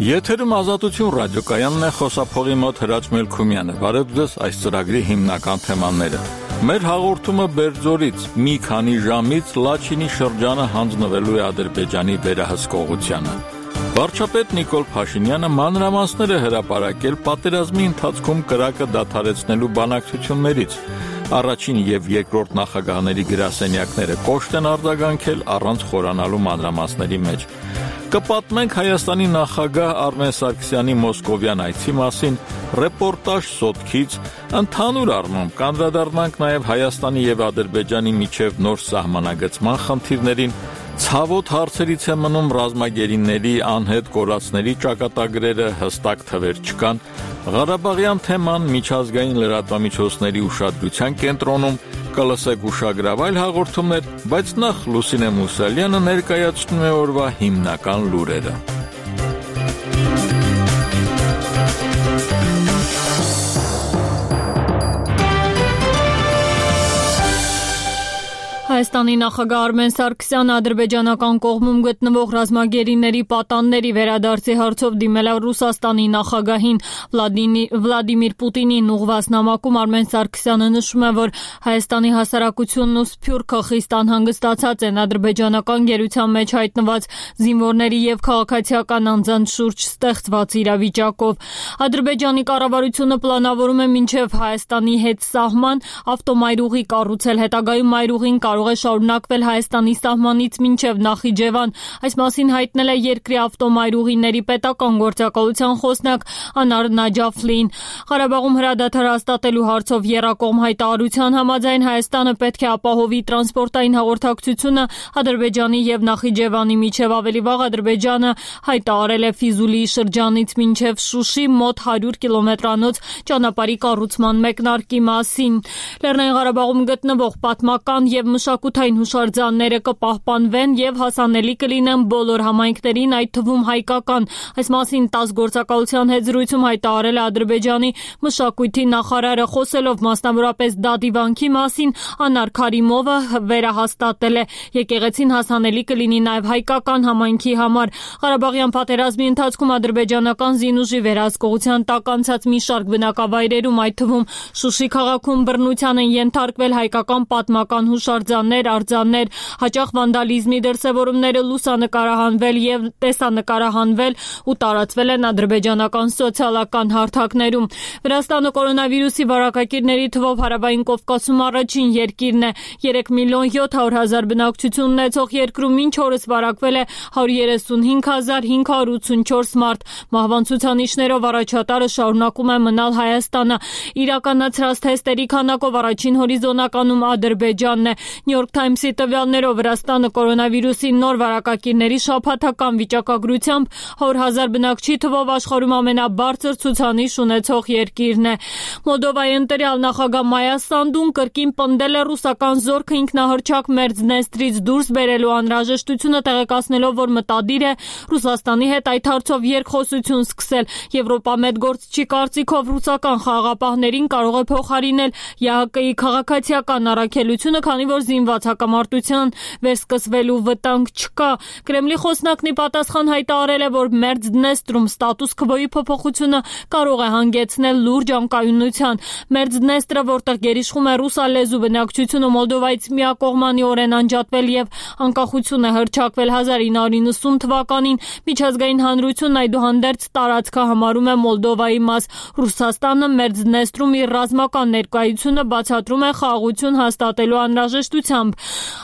Եթերում Ազատություն ռադիոկայանն է, խոսափողի մոտ Հրաչ Մելքումյանը։ Բարև ձեզ, այս ծրագրի հիմնական թեմաները։ Մեր հաղորդումը Բերձորից մի քանի ժամից Լաչինի շրջանը հանձնվելու է Ադրբեջանի վերահսկողությանը։ Վարչապետ Նիկոլ Փաշինյանը մանրամասներ է հրապարակել պատերազմի ընթացքում կրակը դադարեցնելու բանակցություններից։ Առաջին եւ երկրորդ նախագահների գրասենյակները կոշտ են արձագանքել առանց խորանալու մանրամասների մեջ։ Կպատմենք Հայաստանի նախագահ Արմեն Սարգսյանի մոսկովյան այցի մասին, ռեպորտաժ Սոտքից, ընդհանուր առմամբ կանդրադառնանք նաև Հայաստանի եւ Ադրբեջանի միջև նոր սահմանագծման խնդիրներին, ցավոտ հարցերից է մնում ռազմագերիների անհետ կորածների ճակատագրերը հստակ թվեր չկան, Ղարաբաղյան թեման միջազգային լրատվամիջոցների ուշադրության կենտրոնում, կլսեք ուշագրավ այլ հաղորդումներ, բայց նախ Լուսինե Մուսալյանը ներկայացնում է օրվա հիմնական լուրերը։ Հայաստանի նախագահ Արմեն Սարգսյանը ադրբեջանական կողմում գտնվող ռազմագերիների պատանների վերադարձի հարցով դիմել է Ռուսաստանի նախագահին Վլադիմիր Պուտինին ուղղված նամակում Արմեն Սարգսյանը նշում է, որ Հայաստանի հասարակությունն ու Սփյուռքը խիստ անհանգստացած են ադրբեջանական գերության մեջ հայտնված զինվորների եւ քաղաքացիական անձանց շուրջ ստեղծված իրավիճակով։ Ադրբեջանի կառավարությունը պլանավորում է մինչև Հայաստանի հետ սահման ավտոմայրուղի կառուցել, հետագայում մայրուղին կարող է շարունակվել Հայաստանի սահմանից մինչև Նախիջևան։ Այս մասին հայտնել է երկրի ավտոմայրուղիների պետական գործակալության խոսնակ Անար Նաջաֆլին։ Ղարաբաղում հրադադար հաստատելու հարցով եռակողմ հայտարարության համաձայն Հայաստանը պետք է ապահովի տրանսպորտային հաղորդակցությունը Ադրբեջանի եւ Նախիջևանի միջև։ Ավելի վաղ Ադրբեջանը հայտարարել է Ֆիզուլիի շրջանից մինչև Շուշի մոտ 100 կիլոմետրանոց ճանապարհի կառուցման մեկնարկի մասին։ Լեռնային Ղարաբաղում գտնվող պատմական եւ մշակութային հուշարձանները կպահպանվեն եւ հասանելի կլինեն բոլոր համայնքներին, այդ թվում հայկական։ Այս մասին ՏԱՍՍ գործակալության հետ զրույցում հայտարարել է Ադրբեջանի մշակույթի նախարարը, խոսելով մասնավորապես Դադիվանքի մասին, Անար Քարիմովը վերահաստատել է եկեղեցին հասանելի կլինի նաեւ հայկական համայնքի համար։ Ղարաբաղյան պատերազմի ընթացքում ադրբեջանական զինուժի վերահսկողության տակ անցած մի շարք բնակավայրերում, այդ թվում Շուշի քաղաքում բռնության են ենթարկվել հայկական պատմական հուշարձաններ, արձաններ, հաճախ վանդալիզմի դրսևորումները լուսանկարահանվել եւ տեսանկարահանվել ու տարածվել են ադրբեջանական սոցիալական հարթակներում։ Վրաստանը կորոնավիրուսի վարակակիրների թվով հարավային Կովկասում առաջին երկիրն է։ 3.700.000 բնակչություն ունեցող երկրում մինչ օրս վարակվել է 135.584 մարդ։ Մահվան ցուցանիշներով առաջատարը շարունակում է մնալ Հայաստանը։ Իրականացրած թեստերի քանակով առաջին հորիզոնականում Ադրբեջանն է։ New York Times-ի տվյալներով Վրաստանը կորոնավիրուսի նոր վարակակիրների շաբաթական վիճակագրությամբ 100,000 բնակչի թվով աշխարհում ամենաբարձր ցուցանիշ ունեցող երկիրն է։ Մոլդովայի ընտրյալ նախագահ Մայա Սանդուն կրկին պնդել է ռուսական զորքը ինքնահռչակ Մերձնեստրից դուրս բերելու անհրաժեշտությունը, տեղեկացնելով, որ մտադիր է Ռուսաստանի հետ այդ հարցով երկխոսություն սկսել։ Եվրոպամետ գործչի կարծիքով ռուսական խաղաղապահներին կարող է փոխարինել ԵԱՀԿ-ի քաղաքացիական առաքելությունը, քանի որ զինված հակամարտության վերսկսվելու վտանգ չկա։ Կրեմլի խոսնակն ի պատասխան հայտարարել է, որ Մերձդնեստրում ստատուս քվոյի փոփոխությունը կարող է հանգեցնել լուրջ անկայունության։ Մերձդնեստրը, որտեղ գերիշխում է ռուսալեզու բնակչությունը, Մոլդովայից միակողմանիորեն անջատվել եւ անկախություն է հռչակվել 1990 թվականին, միջազգային հանրությունն այդուհանդերձ տարածքը համարում է Մոլդովայի մաս։ Ռուսաստանը Մերձդնեստրում իր ռազմական ներկայությունը բացատրում է խաղաղություն հաստատելու անհրաժեշտությամբ։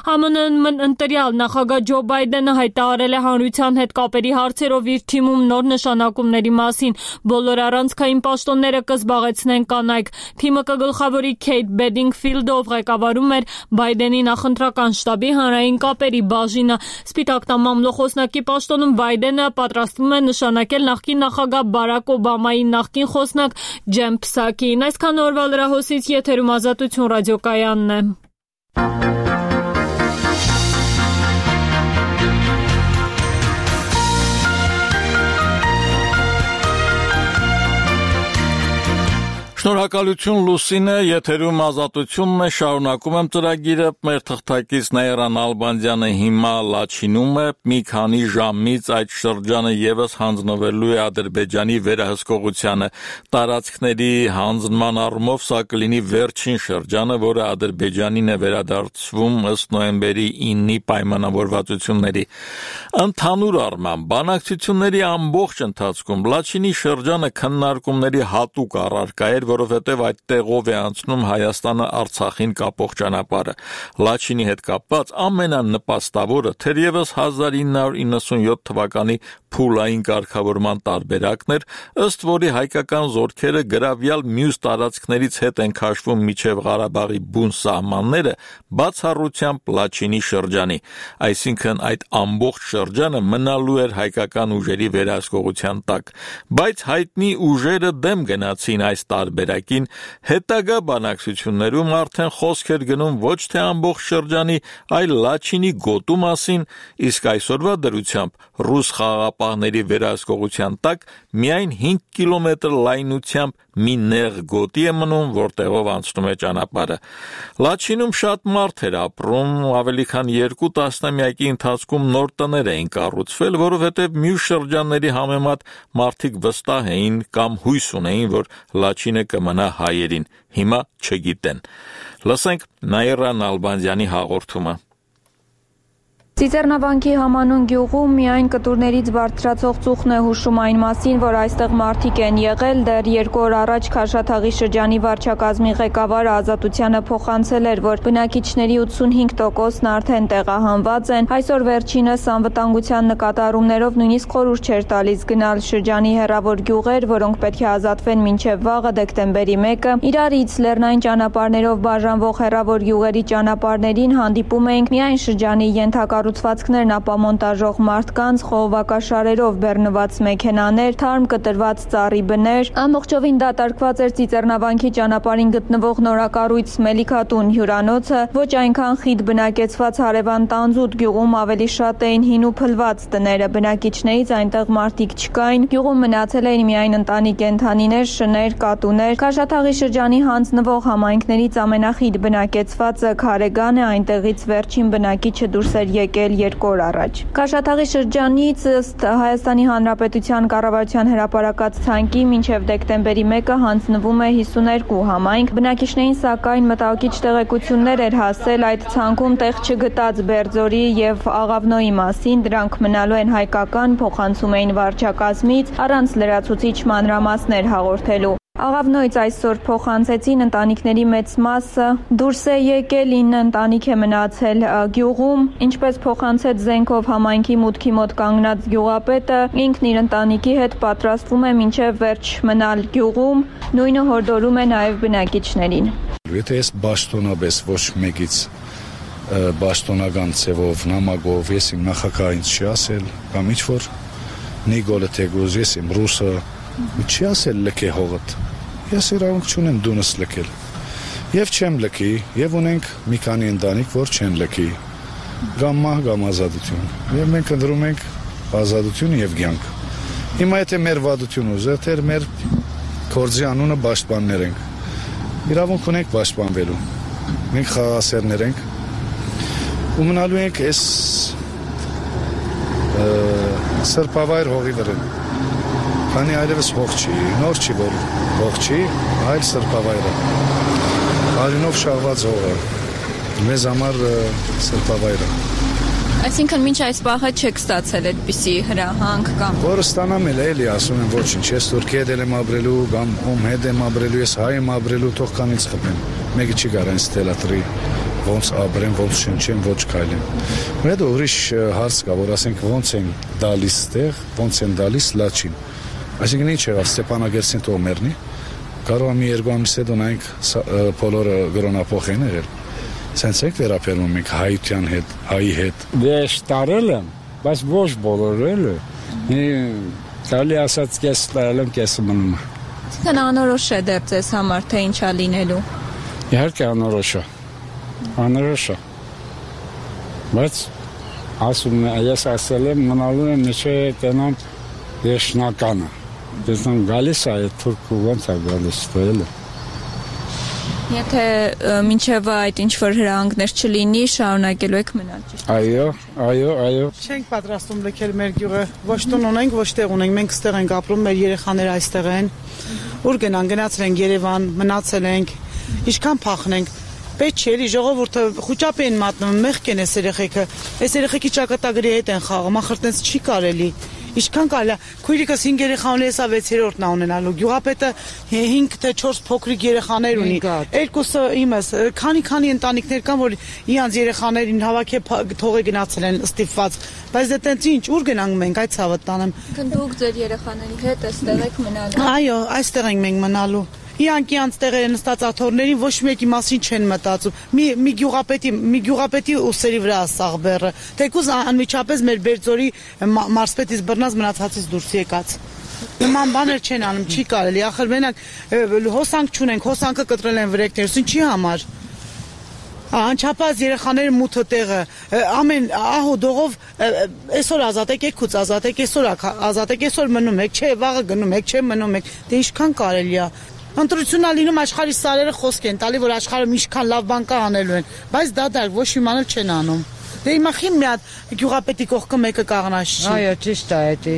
ԱՄՆ ընտրյալ նախագահ Ջո Բայդենը հայտարարել է հանրության հետ կապերի հարցերով իր թիմում նոր նշանակումների մասին։ Բոլոր առանցքային պաշտոնները կզբաղեցնեն կանայք։ Թիմը կգլխավորի Քեյթ Բեդինգֆիլդը, ով ղեկավարում էր Բայդենի նախընտրական շտաբի հանրային կապերի բաժինը։ Սպիտակ տան մամլոխոսնակի պաշտոնում Բայդենը պատրաստվում է նշանակել նախկին նախագահ Բարակ Օբամայի նախկին խոսնակ Ջեն Փսակին։ Այսքան օրվա լրահոսից եթերում Ազատություն ռադիոկայանն է։ Շնորհակալ Շնորհակալություն Լուսինե, եթերում ազատությունն է, շարունակում եմ ծրագիրը, մեր թղթակից Նաիրան Ալբանդյանը հիմա Լաչինում է, մի քանի ժամից այդ շրջանը եւս հանձնվելու է Ադրբեջանի վերահսկողությանը, տարածքների հանձնման առումով սա կլինի վերջին շրջանը, որը Ադրբեջանին է վերադարձվում ըստ նոյեմբերի 9-ի պայմանավորվածությունների։ Ընդհանուր առմամբ բանակցությունների ամբողջ ընթացքում Լաչինի շրջանը քննարկումների հատուկ առարկա էր, որովհետև այդտեղով է անցնում Հայաստանը Արցախին կապող ճանապարհը։ Լաչինի հետ կապված ամենանպաստավորը թերևս 1997 թվականի փուլային կարգավորման տարբերակն էր, ըստ որի հայկական զորքերը գրավյալ մյուս տարածքներից հետ են քաշվում միջև Ղարաբաղի բուն սահմանները, բացառությամբ Լաչինի շրջանի, այսինքն այդ ամբողջ շրջանը մնալու էր հայկական ուժերի վերահսկողության տակ, բայց հայտնի ուժերը դեմ գնացին այս տարբերակին, հետագա բանակցություններում արդեն խոսք էր գնում ոչ թե ամբողջ շրջանի, այլ Լաչինի գոտու մասին, իսկ այսօրվա դրությամբ ռուս խաղաղապահների վերահսկողության տակ միայն 5 կիլոմետր լայնությամբ մի նեղ գոտի է մնում, որտեղով անցնում է ճանապարհը։ Լաչինում շատ մարդ էր ապրում, ավելի քան 2 տասնամյակի ընթացքում նոր տներ էին կառուցվել, որովհետև մյուս շրջանների համեմատ մարդիկ վստահ էին կամ հույս ունեին, որ Լաչինը կմնա հայերին, հիմա չգիտեն։ Լսենք Նաիրան Ալբանդյանի հաղորդումը։ Ծիծեռնավանքի համանուն գյուղում միայն կտուրներից բարձրացող ծուխն է հուշում այն մասին, որ այստեղ մարդիկ են եղել, դեռ 2 օր առաջ Քաշաթաղի շրջանի վարչակազմի ղեկավարը Ազատությանը փոխանցել էր, որ բնակիչների 85%-ն արդեն տեղահանված են, այսօր վերջինս անվտանգության նկատառումներով նույնիսկ խորհուրդ չէր տալիս գնալ շրջանի հեռավոր գյուղեր, որոնք պետք է ազատվեն մինչև վաղը դեկտեմբերի 1-ը, իրարից լեռնային ճանապարհներով բաժանվող հեռավոր գյուղերի ճանապարհներին հանդիպում էինք միայն շրջանի ենթակառուցվածքներն ապամոնտաժող մարդկանց, խողովակաշարերով բեռնված մեքենաներ, թարմ կտրված ծառի բներ, ամբողջովին դատարկված էր Ծիծեռնավանքի ճանապարհին գտնվող նորակառույց Մելիքատուն հյուրանոցը, ոչ այնքան խիտ բնակեցված հարևան Տանձուտ գյուղում ավելի շատ էին հին ու փլված տները, բնակիչներից այնտեղ մարդիկ չկային, գյուղում մնացել էին միայն ընտանի կենդանիներ, շներ, կատուներ, Քաշաթաղի շրջանի հանձնվող համայնքներից ամենախիտ բնակեցվածը Քարեգան է, այնտեղից վերջին բնակիչը դուրս էր եկել 2 օր առաջ։ Քաշաթաղի շրջանից ըստ Հայաստանի Հանրապետության կառավարության հրապարակած ցանկի մինչև դեկտեմբերի 1-ը հանձնվում է 52 համայնք, բնակիչներին սակայն մտահոգիչ տեղեկություններ էր հասել այդ ցանկում տեղ չգտած Բերձորի եւ Աղավնոյի մասին, դրանք մնալու են հայկական, փոխանցում էին վարչակազմից, առանց լրացուցիչ մանրամասներ հաղորդելու։ Աղավնոյից այսօր փոխանցեցին ընտանիքների մեծ մասը դուրս է եկել, 9 ընտանիք է մնացել գյուղում, ինչպես փոխանցեց Զենքով համայնքի մուտքի մոտ կանգնած գյուղապետը, ինքն իր ընտանիքի հետ պատրաստվում է մինչև վերջ մնալ գյուղում, նույնը հորդորում է նաև բնակիչներին։ Եթե ես բաշտոնապես ոչ մեկից բաշտոնական ցևով, նամակով, ես իմ նախագահին չի ասել, կամ ինչ-որ Նիկոլը Թեգուզ, ես իմ ռուսը չի ասել լքե հողդ, ես իրավունք չունեմ դունս լքել, և չեմ լքի, և ունենք մի քանի ընտանիք, որ չեն լքի, գամ մահ, գամ ազատություն, և մենք ընտրում ենք ազատություն և կյանք։ Հիմա եթե մեր վատություն ուզե, թե մեր գործի անունը պաշտպաններ ենք, իրավունք ունենք պաշտպանվելու, մենք խաղաղասերներ ենք, ու մնալու ենք այս սրբավայր հողի վրա։ Քանի այլևս հող չի, նոր չի, որ հող չի, այլ սրբավայրը, արյունով շաղված հողը, մեզ համար սրբավայրը։ Այսինքն մինչ այս պահը չեք ստացել այդպիսի հրահանգ կամ։ Որը ստանամ էլի ասում եմ ոչինչ, ես Թուրքի հետ եմ ապրելու, կամ ում հետ եմ ապրելու, ես հայ եմ ապրելու, թող կանից խփեմ, մեկը չի կարող ինձ թելադրի, ոնց ապրեմ, ոնց շնչեմ, ոչ քայլեմ։ Մեծ ուրիշ հարց կա, որ ասենք ոնց են դալիս տեղ, ոնց են դալիս Լաչին։ Այսինքն ինչ եղավ Ստեփանագերդին թող մեռնի, կարող է մի 2 ամիս հետո նայենք բոլորը գրոնափոխ են եղել։ Սենց եք վերապերում ենք հայության հետ, հայի հետ։ Ես տարել եմ, բայց ոչ բոլորը էլ է։ Կարելի ասած կես տարել եմ, կեսը մնում է։ Այսինքն անորոշ է դեռ ձեզ համար, թե ինչա լինելու։ Իհարկե անորոշ է։ Անորոշ է։ Բայց ասում ես ասել եմ, մնալու եմ միշտ տենամ վերջնականը։ Դեսնամ գալիս է այդ թուրքը ոնց է գալիս տոյելը։ Եթե մինչև այդ ինչ-որ հրահանգներ չլինի, շարունակելու եք մնալ, ճիշտ է։ Այո։ Չենք պատրաստում լքել մեր գյուղը, ոչ տուն ունենք, ոչ տեղ ունենք, մենք ստեղ ենք ապրում, մեր երեխաները այստեղ են։ Ուր գնացել ենք Երևան, մնացել ենք, ինչքան փախնենք։ Պետք չէ, էլի ժողովուրդը խուճապ են մատնում, մեղք են այս երեխեքի ճակատագրի հետ են խաղում, ախր տենց չի կարելի։ Ինչքան կարելի է, քույրիկս 5 երեխա ունի, հեսա 6-րդն է ունենալու։ Գյուղապետը 5 թե 4 փոքրիկ երեխաներ ունի։ Երկուսը իմս, քանի ընտանիքներ կան, որ իրանց երեխաներին հավաքի թողե գնացել են ստիպված։ Բայց դե տենց ինչ, ուր գնանք մենք, այդ ցավը տանեմ։ Դուք ձեր երեխաների հետ այստեղ եք մնալու։ Այո, այստեղ ենք մենք մնալու։ Իրանք տեղերը նստած աթոռներին ոչ մեկի մասին չեն մտածում։ Մի գյուղապետի ուսերի վրա սաղ բեռը։ Թեկուզ անմիջապես մեր Բերձորի մարզպետից բռնած մնացածից դուրս եկած։ Նման բաներ չեն անում, չի կարելի։ Ախր մենակ հոսանք չունենք, հոսանքը կտրել են վրեկներս, ինչի համար։ Անչափած երեխաները մութը տեղը, ամեն ահու դողով այսօր ազատեք, եկուց ազատեք, այսօր ազատեք, այսօր մնում եք, չէ, վաղը գնում եք, չէ, մնում եք։ Դե ինչքան կարելի է։ Ընտրությունն ալինում աշխարհի սարերը խոսք են տալի, որ աշխարհում ինչքան լավ բան կա անելու են, բայց դատարկ ոչ մի բան չեն անում։ Դե հիմա խիմ մի հատ գյուղապետի կողքը մեկը կաղնաշ չի։ Այո, ճիշտ է դա։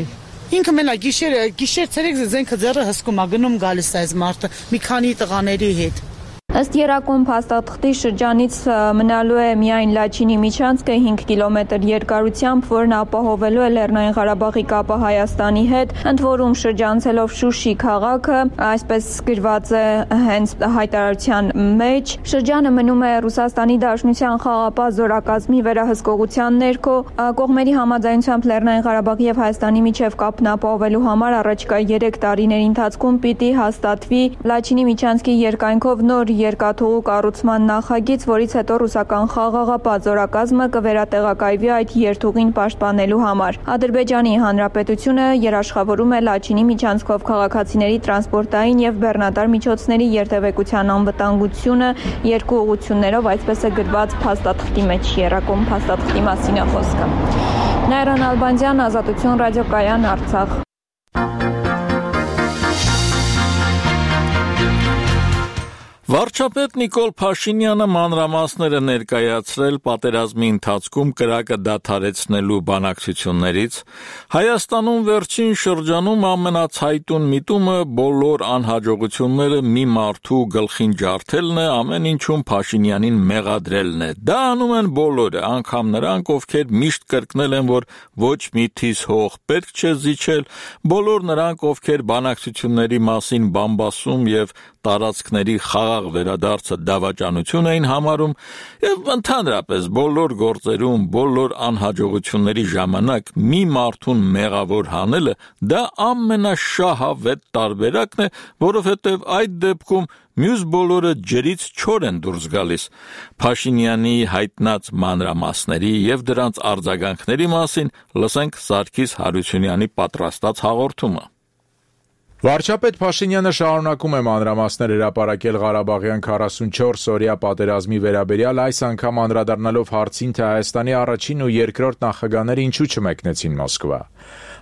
Ինքը մենակ գիշեր ցերեկ զենքը ձեռը հսկում է, գնում գալիս է այս մարդը մի քանի տղաների հետ։ Ըստ Երակոմ փաստաթղթի շրջանից մնալու է միայն Լաչինի միջանցքը 5 կիլոմետր երկարությամբ, որն ապահովելու է Լեռնային Ղարաբաղի կապը Հայաստանի հետ, ընդ որում շրջանցելով Շուշի քաղաքը, այսպես գրված է հենց հայտարարության մեջ։ Շրջանը մնում է Ռուսաստանի Դաշնության խաղապահ զորակազմի վերահսկողության ներքո, կողմերի համաձայնությամբ Լեռնային Ղարաբաղի եւ Հայաստանի միջև կապն ապահովելու համար առաջիկա 3 տարիների ընթացքում պիտի հաստատվի Լաչինի միջանցքի երկայնքով նոր երկաթուղու կառուցման նախագիծ, որից հետո ռուսական խաղաղապահ զորակազմը կվերատեղակայվի այդ երթուղին պաշտպանելու համար։ Ադրբեջանի Հանրապետությունը երաշխավորում է Լաչինի միջանցքով քաղաքացիների տրանսպորտային եւ բեռնատար միջոցների երթևեկության անվտանգությունը երկու ուղղություններով, այսպես է գրված փաստաթղթի մեջ, Երակոմ փաստաթղթի մասին է խոսքը։ Նայրան Ալբանդյան, Ազատություն ռադիոկայան, Արցախ։ Վարչապետ Նիկոլ Փաշինյանը մանրամասներ է ներկայացրել պատերազմի ընթացքում կրակը դադարեցնելու բանակցություններից, Հայաստանում վերջին շրջանում ամենացայտուն միտումը բոլոր անհաջողությունները մի մարդու գլխին ջարդելն է, ամեն ինչում Փաշինյանին մեղադրելն է։ Դա անում են բոլորը, անգամ նրանք, ովքեր միշտ կրկնել են, որ ոչ մի թիս հող պետք չէ զիջել, բոլոր նրանք, ովքեր բանակցությունների մասին բամբասում եւ տարածքների խաղաղ վերադարձը դավաճանություն էին համարում եւ ընդհանրապես բոլոր գործերում, բոլոր անհաջողությունների ժամանակ մի մարդուն մեղավոր հանելը դա ամենաշահավետ տարբերակն է, որովհետեւ այդ դեպքում մյուս բոլորը ջրից չոր են դուրս գալիս։ Փաշինյանի հայտնած մանրամասների եւ դրանց արձագանքների մասին լսենք Սարգիս Հարությունյանի պատրաստած հաղորդումը։ Վարչապետ Փաշինյանը շարունակում է մանրամասներ հրապարակել Ղարաբաղյան 44-օրյա պատերազմի վերաբերյալ, այս անգամ անդրադառնալով հարցին, թե Հայաստանի առաջին ու երկրորդ նախագահները ինչու չմեկնեցին Մոսկվա։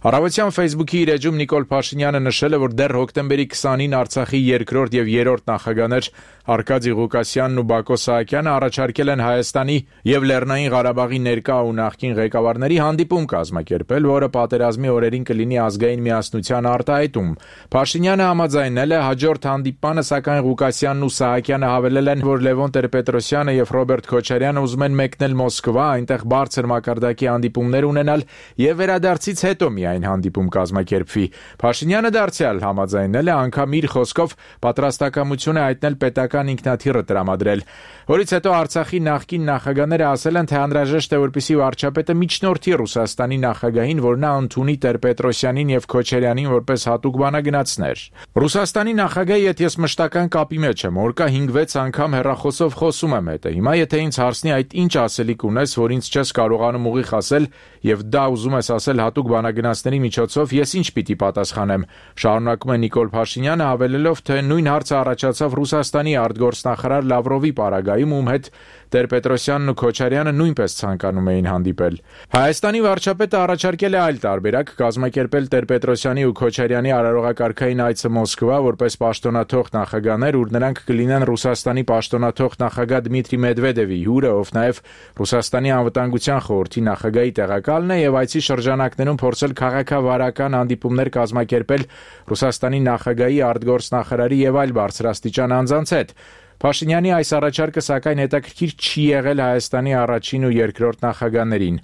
Առավոտյան Facebook-ի իր էջում Նիկոլ Փաշինյանը նշել է, որ դեռ հոկտեմբերի 20-ին Արցախի երկրորդ եւ երրորդ նախագահներ Արկադի Ղուկասյանն ու Բակո Սահակյանը առաջարկել են Հայաստանի եւ Լեռնային Ղարաբաղի ներկա ու նախկին ղեկավարների հանդիպում կազմակերպել, որը պատերազմի օրերին կլինի ազգային միասնության արտահայտում։ Փաշինյանը համաձայնել է, հաջորդ հանդիպմանը, սակայն Ղուկասյանն ու Սահակյանը հավելել են, որ Լևոն Տեր-Պետրոսյանը եւ Ռոբերտ Քոչարյանը ուզում են մեկնել Մոսկվա, այնտեղ բարձր մակարդակի հանդիպումներ ունենալ եւ վերադարձից հետո միայն հանդիպում կազմակերպվի։ Փաշինյանը դարձյալ համաձայնել է, անգամ իր խոսքով պատրաստակամություն է հայտնել պետական ինքնաթիռը տրամադրել, որից հետո Արցախի նախկին նախագահները ասել են, թե անհրաժեշտ է, որպեսզի վարչապետը միջնորդի Ռուսաստանի նախագահին, որ նա ընդունի Տեր-Պետրոսյանին եւ Քոչարյանին որպես հատուկ բանագնացներ։ Ռուսաստանի նախագահը, եթե ես մշտական կապի մեջ եմ, օրկա 5-6 անգամ հեռախոսով խոսում եմ հետը։ Հիմա եթե ինձ հարցնի այդ ինչ ասելիք ունես, որ ինձ չես կարողանում ուղիղ ասել եւ դա ուզում ես ասել հատուկ բանագնաց իրականացնելի միջոցով ես ինչ պիտի պատասխանեմ, շարունակում է Նիկոլ Փաշինյանը, հավելելով, թե նույն հարցը առաջացավ Ռուսաստանի արտգործնախարար Լավրովի պարագայում, ում հետ Տեր-Պետրոսյանն ու Քոչարյանը նույնպես ցանկանում էին հանդիպել։ Հայաստանի վարչապետը առաջարկել է այլ տարբերակ, կազմակերպել Տեր-Պետրոսյանի ու Քոչարյանի արարողակարգային այցը Մոսկվա որպես պաշտոնաթող նախագահներ, ուր նրանք կլինեն Ռուսաստանի պաշտոնաթող նախագահ Դմիտրի Մեդվեդևի հյուրը, ով նաև Ռուսաստանի անվտանգության խորհրդի նախագահի տեղակալն է, եւ այցի շրջանակներում փորձել քաղաքավարական հանդիպումներ կազմակերպել Ռուսաստանի նախագահի, արտգործնախարարի եւ այլ բարձրաստիճան անձանց հետ։ Փաշինյանի այս առաջարկը սակայն հետաքրքիր չի եղել Հայաստանի առաջին ու երկրորդ նախագահներին։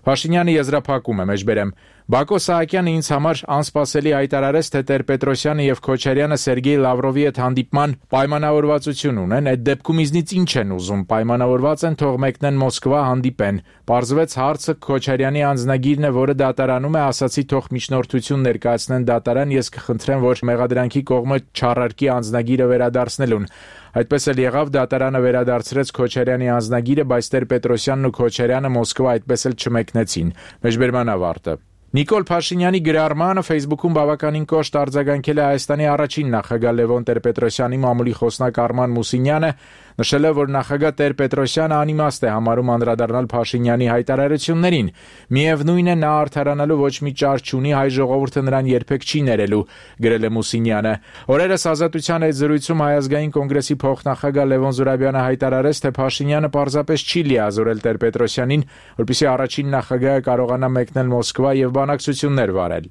Փաշինյանը եզրափակում է, մեջբերեմ. Բակո Սահակյանը ինձ համար անսպասելի հայտարարեց, թե Տեր-Պետրոսյանը եւ Քոչարյանը Սերգեյ Լավրովի հետ հանդիպման պայմանավորվածություն ունեն, այդ դեպքում ինձնից ինչ են ուզում, պայմանավորված են թող մեկնեն Մոսկվա հանդիպեն։ Պարզվեց հարցը Քոչարյանի անձնագիրն է, որը դատարանում է, ասացի թող միջնորդություն ներկայացնեն դատարան, ես կխնդրեմ, որ մեղադրանքի կողմը չառարկի անձնագիրը վերադարձնելուն։ Այդպես էլ եղավ, դատարանը վերադարձրեց Քոչարյանի անձնագիրը, բայց Տեր-Պետրոսյանն ու Քոչարյանը Մոսկվա այդպես էլ չմեկնեցին։ Մեջբերման ավարտը։ Նիկոլ Փաշինյանի գրառմանը Facebook-ում բավականին կոշտ արձագանքել է Հայաստանի առաջին նախագահ Լևոն Տեր-Պետրոսյանի մամուլի խոսնակ Արման Մուսինյանը, նշել է, որ նախագահ Տեր-Պետրոսյանը անիմաստ է համարում անդրադառնալ Փաշինյանի հայտարարություններին։ Միևնույն է, նա արդարանալու ոչ մի ճար չունի, հայ ժողովուրդը նրան երբեք չի ներելու, գրել է Մուսինյանը։ Օրերս Ազատության այդ զրույցում Հայ ազգային կոնգրեսի փոխնախագահ Լևոն Զուրաբյանը հայտարարեց, թե Փաշինյանը պարզապես չի լիազորել Տեր-Պետրոսյանին, որպեսզի առաջին նախագահը կարողանա մեկնել Մոսկվա եւ բանակցություններ վարել։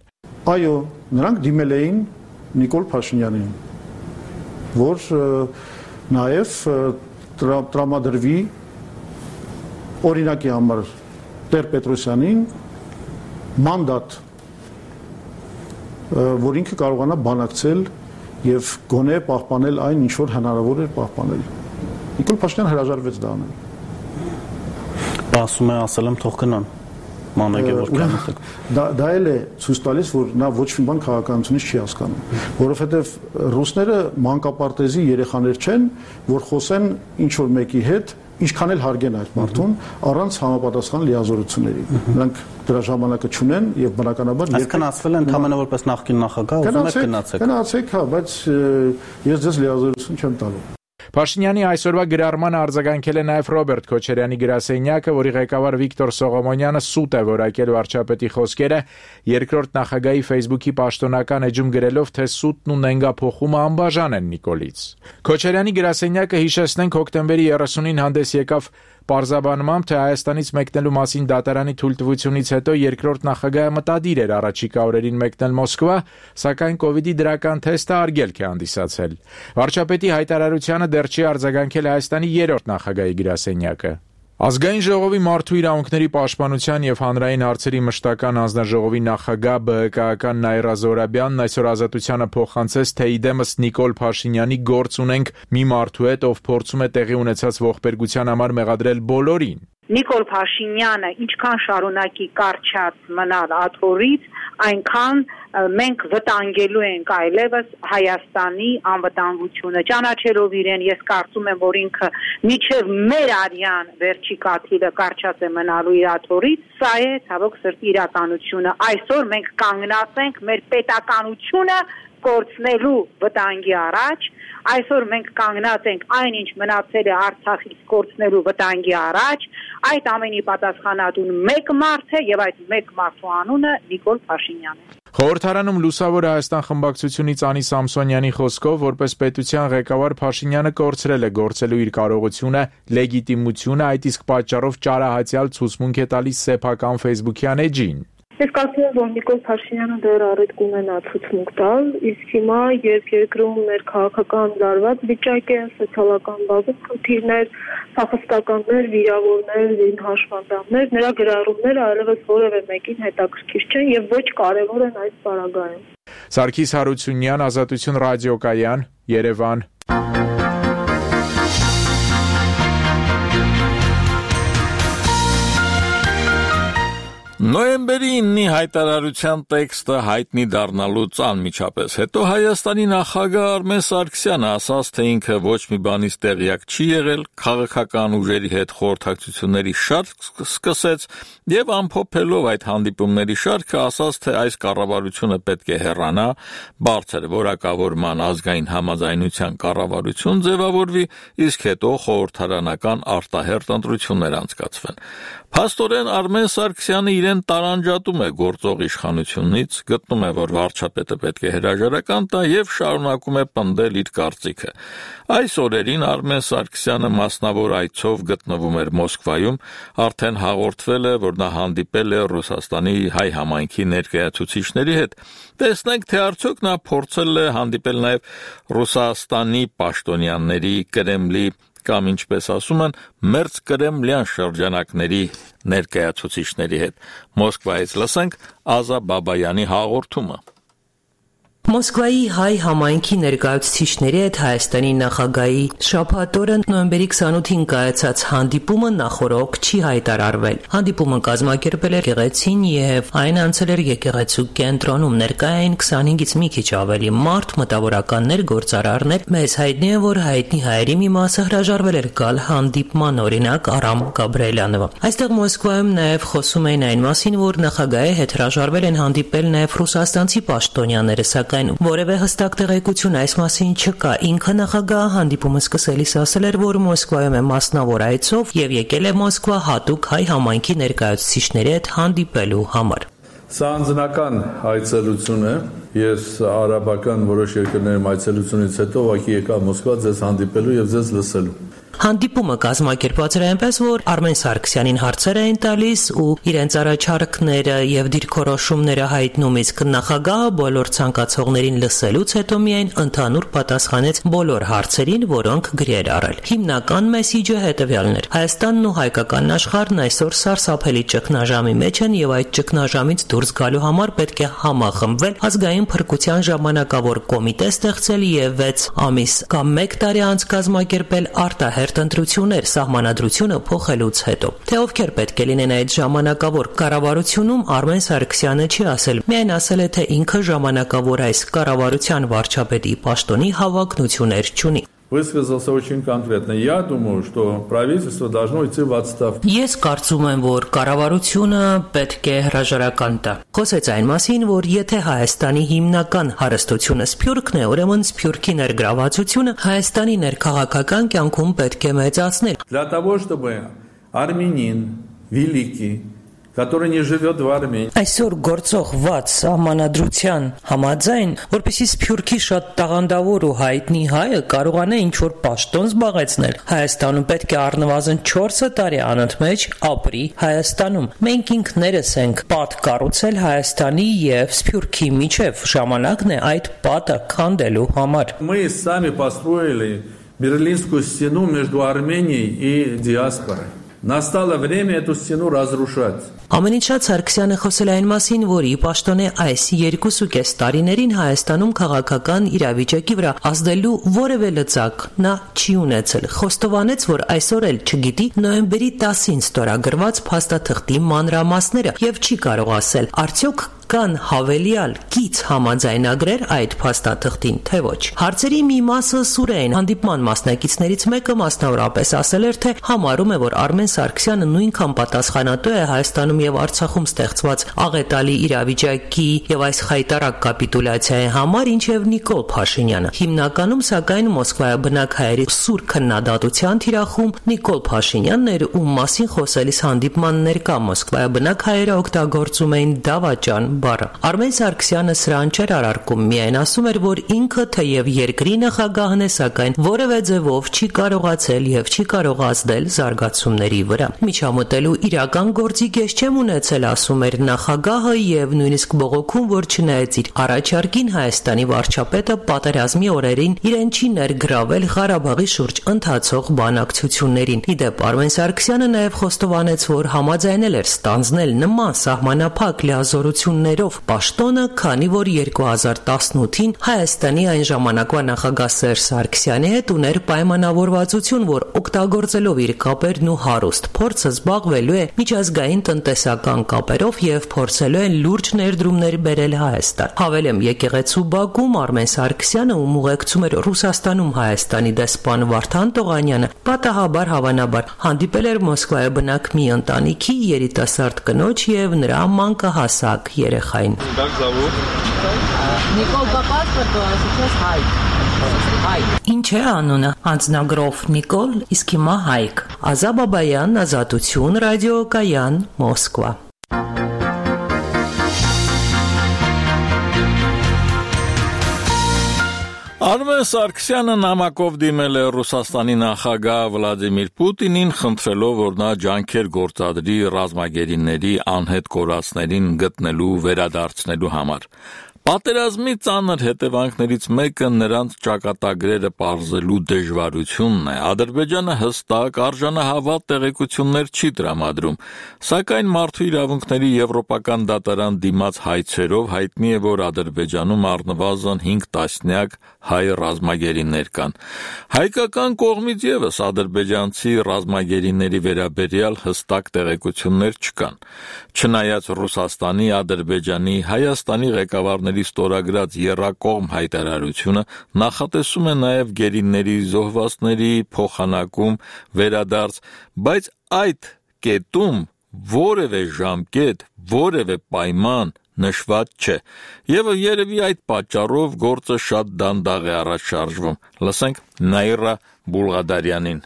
Այո, նրանք դիմել էին Նիկոլ Փաշինյանին, որ նաև տրամադրվի օրինակի համար Տեր-Պետրոսյանին մանդատ, որ ինքը կարողանա բանակցել եւ գոնե պահպանել այն, ինչ որ հնարավոր էր պահպանել։ Նիկոլ Փաշինյանը հրաժարվեց դա անել։ Ասում է, ասել եմ թող գնան։ Դա էլ է ցույց տալիս, որ նա ոչ մի բան քաղաքականությունից չի հասկանում, որովհետև ռուսները մանկապարտեզի երեխաներ չեն, որ խոսեն ինչ որ մեկի հետ, ինչքան էլ հարգեն այդ մարդուն, առանց համապատասխան լիազորությունների։ Նրանք դրա ժամանակը չունեն եւ բնականաբար այսքան ասվել են ընդհանրապես որպես նախկին նախագահ, ուզում եք գնացեք։ Գնացեք, հա, բայց ես ձեզ լիազորություն չեմ տալու։ Փաշինյանի այսօրվա գրառմանը արձագանքել է նաև Ռոբերտ Քոչարյանի գրասենյակը, որի ղեկավար Վիկտոր Սողոմոնյանը սուտ է որակել վարչապետի խոսքերը, երկրորդ նախագահի Facebook-ի պաշտոնական էջում գրելով, թե սուտն ու նենգափոխումը անբաժան են Նիկոլից։ Քոչարյանի գրասենյակը, հիշեցնենք, հոկտեմբերի 30-ին հանդես եկավ պարզաբանմամբ, թե Հայաստանից մեկնելու մասին դատարանի թույլտվությունից հետո երկրորդ նախագահը մտադիր էր առաջիկա օրերին մեկնել Մոսկվա, սակայն կոവിഡ്ի դրական թեստը արգելք է հանդիսացել։ Վարչապետի հայտարարությանը դեռ չի արձագանքել Հայաստանի երրորդ նախագահի գրասենյակը։ Ազգային ժողովի մարդու իրավունքների պաշտպանության եւ հանրային հարցերի մշտական հանձնաժողովի նախագահ ԲՀԿ-ական Նաիրա Զոհրաբյանն այսօր Ազատությանը փոխանցեց, թե իդեմս Նիկոլ Փաշինյանի գործ ունենք մի մարդու հետ, ով փորձում է տեղի ունեցած ողբերգության համար մեղադրել բոլորին։ Նիկոլ Փաշինյանը ինչքան շարունակի կարճած մնալ աթոռից, այնքան մենք վտանգելու ենք այլևս Հայաստանի անվտանգությունը։ Ճանաչելով իրեն, ես կարծում եմ, որ ինքը միջև մեր արյան վերջի կաթիլը կարճած է մնալու իր աթոռից, սա է ցավոք սրտի իրականությունը։ Այսօր մենք կանգնած ենք մեր պետականությունը կորցնելու վտանգի առաջ, այսօր մենք կանգնած ենք այնինչ մնացել է Արցախից կորցնելու վտանգի առաջ, այդ ամենի պատասխանատուն մեկ մարդ է եւ այդ մեկ մարդու անունը Նիկոլ Փաշինյանն է։ Խորհրդարանում Լուսավոր Հայաստան խմբակցությունից Անի Սամսոնյանի խոսքով, որպես պետության ղեկավար Փաշինյանը կորցրել է գործելու իր կարողությունը, լեգիտիմությունը, այդ իսկ պատճառով ճարահացյալ ցուցմունք է տալիս սեփական Facebook-յան էջին։ Ես կարծում եմ, որ Նիկոլ Փաշինյանը դեռ առիթ կունենա ցուցմունք տալ, իսկ հիմա երբ երկրում մեր քաղաքական լարված վիճակ է, սոցիալական բազում խնդիրներ, փախստականներ, վիրավորներ, հաշվանդամներ, նրա գրառումները այլևս որևէ մեկին հետաքրքիր չեն եւ ոչ կարեւոր են այս պարագայում։ Սարգիս Հարությունյան, Ազատություն ռադիոկայան, Երևան։ Նոյեմբերի 9-ի հայտարարության տեքստը հայտնի դառնալուց անմիջապես հետո Հայաստանի նախագահ Արմեն Սարգսյանը ասաց, թե ինքը ոչ մի բանից տեղյակ չի եղել, քաղաքական ուժերի հետ խորհրդակցությունների շարք սկսեց եւ ամփոփելով այդ հանդիպումների շարքը ասաց, թե այս կառավարությունը պետք է հեռանա, բարձր որակավորման ազգային համաձայնության կառավարություն ձևավորվի, իսկ հետո խորհրդարանական արտահերթ ընտրություններ անցկացվեն։ Փաստորեն Արմեն Սարգսյանը իրեն տարանջատում է գործող իշխանությունից, գտնում է, որ վարչապետը պետք է հրաժարական տա եւ շարունակում է պնդել իր կարծիքը։ Այս օրերին Արմեն Սարգսյանը մասնավոր այցով գտնվում էր Մոսկվայում, արդեն հաղորդվել է, որ նա հանդիպել է Ռուսաստանի հայ համայնքի ներկայացուցիչների հետ։ Տեսնենք, թե արդյոք նա փորձել է հանդիպել նաեւ Ռուսաստանի պաշտոնյաների, Կրեմլի կամ ինչպես ասում են, մերձ կրեմլյան շրջանակների ներկայացուցիչների հետ։ Մոսկվայից լսենք Ազա Բաբայանի հաղորդումը։ Մոսկվայի հայ համայնքի ներկայացուցիչների հետ Հայաստանի նախագահի շաբաթ օրը նոյեմբերի 28-ին կայացած հանդիպումը նախորոք չի հայտարարվել։ Հանդիպումը կազմակերպել էր եկեղեցին եւ այն անցել էր եկեղեցու կենտրոնում։ Ներկայ էին 25-ից մի քիչ ավելի մարդ, մտավորականներ, գործարարներ։ Մեզ հայտնի է, որ հայտնի հայերի մի մասը հրաժարվել էր գալ հանդիպման, օրինակ Արամ Գաբրիելյանովը։ Այստեղ Մոսկվայում նաեւ խոսում էին այն մասին, որ նախագահի հետ հրաժարվել են հանդիպել նաեւ ռուսաստանցի պաշտոնյաները, սակայն որևէ հստակ տեղեկություն այս մասին չկա։ Ինքը նախագահը հանդիպումը սկսելիս ասել էր, որ Մոսկվայում է մասնավոր այցով եւ եկել է Մոսկվա հատուկ հայ համայնքի ներկայացուցիչների հետ հանդիպելու համար։ Սա անձնական այցելություն է։ Ես արաբական որոշ երկրներում այցելությունից հետո ուղղակի եկա Մոսկվա ձեզ հանդիպելու եւ ձեզ լսելու։ Հանդիպումը կազմակերպված էր այնպես, որ Արմեն Սարգսյանին հարցեր էին տալիս ու իրենց առաջարկները եւ դիրքորոշումները հայտնում, իսկ նախագահը բոլոր ցանկացողներին լսելուց հետո միայն ընդհանուր պատասխանեց բոլոր հարցերին, որոնք գրեր առել։ Հիմնական մեսիջը հետեւյալն էր. Հայաստանն ու հայկական աշխարհն այսօր սարսափելի ճգնաժամի մեջ են եւ այդ ճգնաժամից դուրս գալու համար պետք է համախմբվել, ազգային փրկության ժամանակավոր կոմիտե ստեղծել եւ 6 ամիս կամ 1 տարի անց կազմակերպել արտահերթ ընտրություններ սահմանադրությունը փոխելուց հետո։ Թե ովքեր պետք է լինեն այդ ժամանակավոր կառավարությունում, Արմեն Սարգսյանը չի ասել, միայն ասել է, թե ինքը ժամանակավոր այս կառավարության վարչապետի պաշտոնի հավակնություններ չունի։ Высказался очень конкретно. Я думаю, что правительство должно идти в отставку. Ես կարծում եմ, որ կառավարությունը պետք է հրաժարական տա։ Խոսեց այն մասին, որ եթե Հայաստանի հիմնական հարստությունը սփյուռքն է, ուրեմն սփյուռքի ներգրավվածությունը Հայաստանի ներքաղաքական կյանքում պետք է մեծացնել։ Для того, чтобы армянин великий, который не живет в Армении. Այսօր գործող վատ սահմանադրության համաձայն, որպեսզի սփյուռքի շատ տաղանդավոր ու հայտնի հայը կարողանա ինչ-որ պաշտոն զբաղեցնել, Հայաստանում պետք է առնվազն 4 տարի անընդմեջ ապրի Հայաստանում։ Մենք ինքներս ենք պատ կառուցել Հայաստանի եւ սփյուռքի միջև, ժամանակն է այդ պատը քանդելու համար։ Мы сами построили Берлинскую стену между Арменией и диаспорой. Настало время эту стену разрушать. Ամենից շատ Սարգսյանը խոսել այն մասին, որ ի պաշտոնե այս 2.5 տարիներին Հայաստանում քաղաքական իրավիճակի վրա ազդելու որևէ լծակ նա չի ունեցել։ Խոստովանեց, որ այսօր էլ չգիտի նոյեմբերի 10-ին ստորագրված փաստաթղթի մանրամասները եւ չի կարող ասել, արդյոք կան հավելյալ կից համաձայնագրեր այդ փաստաթղթին, թե ոչ։ Հարցերի մի մասը սուր էին։ Հանդիպման մասնակիցներից մեկը մասնավորապես ասել էր, թե համարում է, որ Արմեն Սարգսյանը նույնքան պատասխանատու է Հայաստանում եւ Արցախում ստեղծված աղետալի իրավիճակի եւ այս խայտարակ կապիտուլյացիայի համար, ինչեւ Նիկոլ Փաշինյանը։ Հիմնականում, սակայն, Մոսկվայաբնակ հայերի սուր քննադատության թիրախում Նիկոլ Փաշինյանն էր, ում մասին խոսելիս հանդիպման ներկա Մոսկվայաբնակ հայերը օգտագործում էին դավաճան բառը։ Արմեն Սարգսյանը սրան չէր արարքում, միայն ասում էր, որ ինքը թեև երկրի նախագահն է, սակայն որևէ ձևով չի կարողացել եւ չի կարող ազդել զարգացումների վրա։ Միջամտելու իրական գործի կես չեմ ունեցել, ասում էր նախագահը եւ նույնիսկ բողոքում, որ չնայած իր առաջարկին Հայաստանի վարչապետը պատերազմի օրերին իրեն չի ներգրավել Ղարաբաղի շուրջ ընթացող բանակցություններին։ Իդեպ Արմեն Սարգսյանը նաեւ խոստովանեց, որ համաձայնել էր ստանձնել նման սահմանափակ լիազորություններ տոներով պաշտոնը, քանի որ 2018-ին Հայաստանի այն ժամանակվա նախագահ Սերժ Սարգսյանի հետ ուներ պայմանավորվածություն, որ օգտագործելով իր կապերն ու հարուստ փորձը զբաղվելու է միջազգային տնտեսական կապերով եւ փորձելու է լուրջ ներդրումներ բերել Հայաստան։ Հավելեմ, եկեղեցու բակում Արմեն Սարգսյանը, ում ուղեկցում էր Ռուսաստանում Հայաստանի դեսպան Վարդան Տողանյանը, պատահաբար հավանաբար հանդիպել էր Մոսկվայի բնակ մի ընտանիքի երիտասարդ կնոջ եւ նրա մանկահասակ երեխային։ Նիկոլ Ինչ է անունը? Անձնագրով Նիկոլ, իսկ հիմա Հայկ։ Ազա Բաբայան, Ազատություն, ռադիոկայան, Մոսկվա։ Արմեն Սարգսյանը նամակով դիմել է Ռուսաստանի նախագահ Վլադիմիր Պուտինին, խնդրելով, որ նա ջանքեր գործադրի ռազմագերիների անհետ կորածներին գտնելու վերադարձնելու համար։ Պատերազմի ծանր հետևանքներից մեկը նրանց ճակատագրերը պարզելու դժվարությունն է։ Ադրբեջանը հստակ արժանահավատ տեղեկություններ չի տրամադրում, սակայն մարդու իրավունքների եվրոպական դատարան դիմաց հայցերով հայտնի է, որ Ադրբեջանում առնվազն 5 տասնյակ հայ ռազմագերիներ կան։ Հայկական կողմից եւս ադրբեջանցի ռազմագերիների վերաբերյալ հստակ տեղեկություններ չկան։ Չնայած Ռուսաստանի, Ադրբեջանի, Հայաստանի ղեկավարների ստորագրած եռակողմ հայտարարությունը նախատեսում է նաև գերիների զոհվածների փոխանակում, վերադարձ, բայց այդ կետում որևէ ժամկետ, որևէ պայման նշված չէ։ Եվ երևի այդ պատճառով գործը շատ դանդաղ է առաջ շարժվում։ Լսենք Նաիրա Բուլղադարյանին։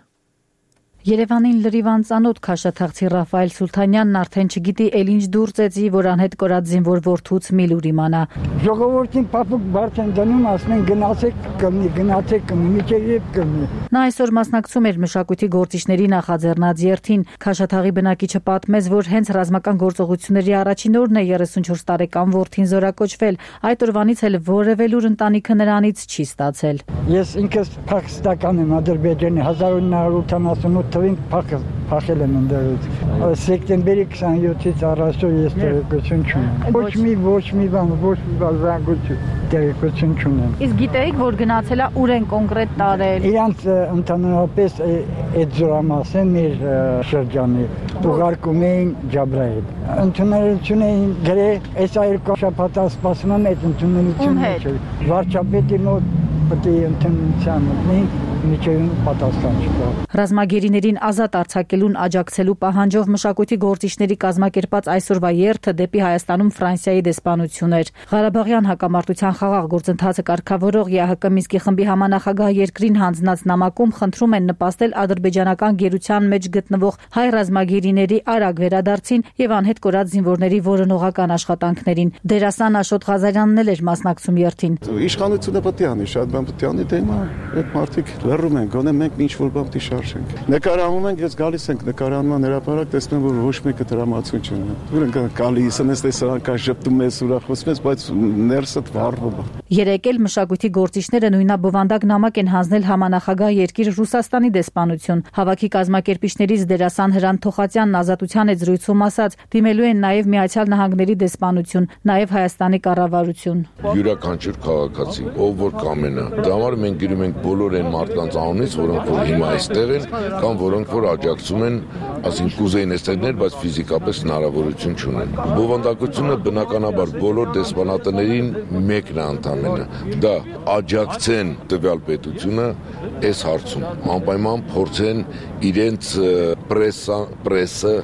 Երևանին լրիվ անծանոթ քաշաթաղցի Ռաֆայել Սուլթանյանն արդեն չգիտի էլ ինչ դուր ծեծի, որ անհետ կորած զինվոր որդուց մի լուր իմանա։ Ժողովրդին փափուկ բարձ են դնում, ասում են գնացեք կմնի, միջև կմնի։ Նա այսօր մասնակցում էր մշակույթի գործիչների նախաձեռնած երթին։ Քաշաթաղի բնակիչը պատմեց, որ հենց ռազմական գործողությունների առաջին օրն է 34 տարեկան որդին զորակոչվել։ Այդ օրվանից էլ որևէ լուր ընտանիքը նրանից չի ստացել։ Ես ինքս փախստական եմ Ադրբեջանի 1988 թվին փախել եմ ընդդերից։ Սեպտեմբերի 27-ից առաջ ես տեղեկություն չունեմ։ Ոչ մի բան տեղեկություն չունեմ։ Իսկ գիտեիք, որ գնացել է ուր են կոնկրետ տարել։ Իրանց ընդհանրապես այդ զորամասեն մեր շրջանի ուղարկում էին Ջաբրայել։ Ընդունելություն էին գրել, այս երկու շաբաթ սպասում եմ այդ ընդունելությունը չէ։ Վարչապետի մոտ պետք է ընդունելության մտնեին, միջև պատասխան չկա։ Ռազմագերիներին ազատ արձակելուն աջակցելու պահանջով մշակույթի գործիչների կազմակերպած այսօրվա երթը դեպի Հայաստանում Ֆրանսիայի դեսպանություն էր։ Ղարաբաղյան հակամարտության խաղաղ գործընթացը կարգավորող ԵԱՀԿ Մինսկի խմբի համանախագահ երկրին հանձնած նամակում խնդրում են նպաստել ադրբեջանական գերության մեջ գտնվող հայ ռազմագերիների արագ վերադարձին եւ անհետ կորած զինվորների որոնողական աշխատանքներին։ Դերասան Աշոտ Ղազարյանն էլ էր մասնակցում երթին։ Իշխանությունը պետք է անի, շատ բան պետք է անի, դե հիմա այդ մարդիկ լռում են, գոնե մենք ինչ-որ բան պետք է շարժենք։ Նկարահանում ենք, ես գալիս ենք նկարահանման հրապարակ, տեսնում որ ոչ մեկը դրամատություն չունի։ Դուր ենք գալիս, ես տեսարան կա շփտում ես, ուրախացնում ես, բայց ներսդ վառվում է։ Երեկ էլ մշակույթի գործիչները նույնաբովանդակ նամակ են հանձնել համանախագահ երկիր Ռուսաստանի դեսպանություն։ Հավաքի կազմակերպիչներից դերասան Հրանտ Թոխատյանն Ազատության հետ զրույցում ասաց, դիմելու են նաև Միացյալ Նահանգների դեսպանություն, նաև Հայաստանի կառավարություն։ Յուրաքանչյուր քաղաքացի, ով որ կամենա, դա համար մենք գրում ենք բոլոր այն մարդկանց անունից, որոնք որ հիմա այստեղ են, կամ որոնք որ աջակցում են, ասենք կուզեին այստեղներ, բայց ֆիզիկապես հնարավորություն չունեն։ Բովանդակությունը բնականաբար բոլոր դեսպանատներին մեկն է ընդամենը, դա աջակցեն տվյալ պետությունը այս հարցում, անպայման փորձեն իրենց պրեսը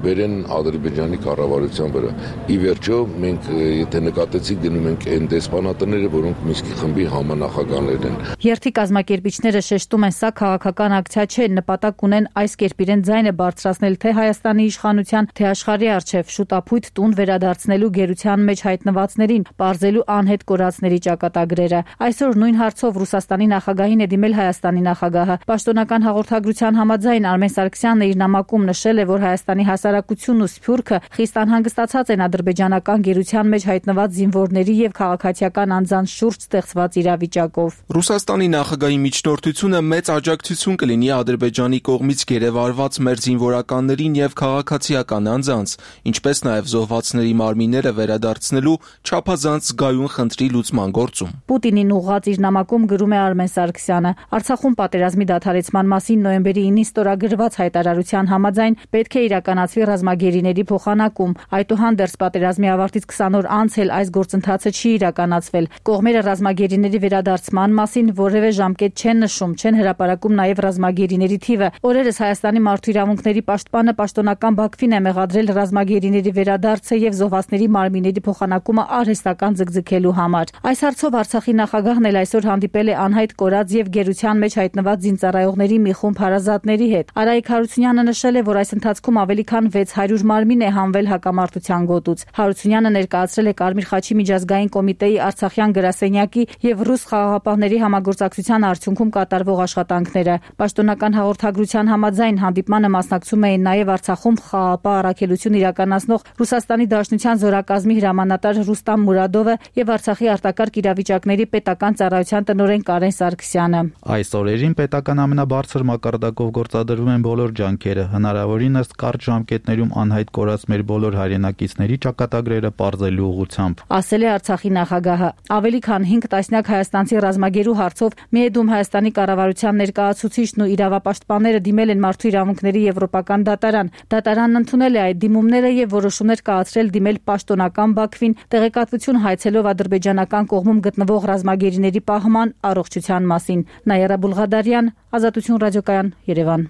բերեն Ադրբեջանի կառավարության վրա։ Ի վերջո մենք եթե նկատեցիք գնում ենք այն դեսպանատները, որոնք Մինսկի խմբի համանախագահներն են։ Երթի կազմակերպիչները շեշտում են, սա քաղաքական ակցիա չէ, նպատակ ունեն այս կերպ իրեն ձայնը բարձրացնել թե Հայաստանի իշխանության, թե աշխարհի առջև շուտապույտ տուն վերադարձնելու գերության մեջ հայտնվածներին, պարզելու անհետ կորածների ճակատագրերը։ Այսօր նույն հարցով Ռուսաստանի նախագահին է դիմել Հայաստանի նախագահը։ Պաշտոնական հաղորդագրության համաձայն Արմեն Սարգսյանն իր նամակում նշել է, որ Հայաստանի հասարակությունն ու Սփյուռքը խիստ անհանգստացած են ադրբեջանական գերության մեջ հայտնված զինվորների եւ քաղաքացիական անձանց շուրջ ստեղծված իրավիճակով։ Ռուսաստանի նախագահի միջնորդությունը մեծ աջակցություն կլինի Ադրբեջանի կողմից գերեվարված մեր զինվորականներին եւ քաղաքացիական անձանց, ինչպես նաեւ զոհվածների մարմինները վերադարձնելու չափազանց զգայուն խնդրի լուծման գործում։ Պուտինին ուղղած իր նամակում գրում է Արմեն Սարգսյանը. Արցախում պատերազմի դադարեցման մասին նոյեմբերի 9-ին ստորագրված հայտարարության համաձայն պետք է իրականացվի ռազմագերիների փոխանակում։ Այդուհանդերձ պատերազմի ավարտից 20 օր անց էլ այս գործընթացը չի իրականացվել։ Կողմերը ռազմագերիների վերադարձման մասին որևէ ժամկետ չեն նշում, չեն հրապարակում նաև ռազմագերիների թիվը։ Օրերս Հայաստանի մարդու իրավունքների պաշտպանը պաշտոնական Բաքվին է մեղադրել ռազմագերիների վերադարձը եւ զոհվածների մարմինների փոխանակումը արհեստական ձգձգելու համար։ Այս հարցով Արցախի նախագահն էլ այսօր հանդիպել է անհայտ կորած եւ գերության մեջ հայտնված զինծառայողների մի խումբ հարազատների հետ։ Արայիկ Հարությունյանը նշել է, որ այս ընթացքում ավելի քան 600 մարմին է հանվել հակամարտության գոտուց։ Հարությունյանը ներկայացրել է Կարմիր խաչի միջազգային կոմիտեի Արցախյան գրասենյակի եւ ռուս խաղաղապահների համագործակցության արդյունքում կատարվող աշխատանքները։ Պաշտոնական հաղորդագրության համաձայն հանդիպմանը մասնակցում էին նաև Արցախում խաղաղապահ առաքելություն իրականացնող Ռուսաստանի Դաշնության զորակազմի հրամանատար Ռուստամ Մուրադովը եւ Արցախի արտակարգ իրավիճակների պետական ծառայության տնօրեն Կարեն Սարգսյանը։ Այս օրերին պետական ամենաբարձր մակարդակով գործադրվում են բոլոր ջանքերը, հնարավորինս կարճ ժամկետներում անհայտ կորած մեր բոլոր հայրենակիցների ճակատագրերը պարզելու ուղղությամբ, ասել է Արցախի նախագահը։ Ավելի քան 5 տասնյակ հայաստանցի ռազմագերու հարցով Միեդում Հայաստանի կառավարության ներկայացուցիչն ու իրավապաշտպանները դիմել են Մարդու իրավունքների եվրոպական դատարան։ Դատարանն ընդունել է այդ դիմումները եւ որոշումներ կայացրել դիմել պաշտոնական Բաքվին, տեղեկատվություն հայցելով ադրբեջանական կողմում գտնվող ռազմագերիների պահման առողջության մասին։ Նայիրա Բուլղադարյան, Ազատություն ռադիոկայան, Երևան։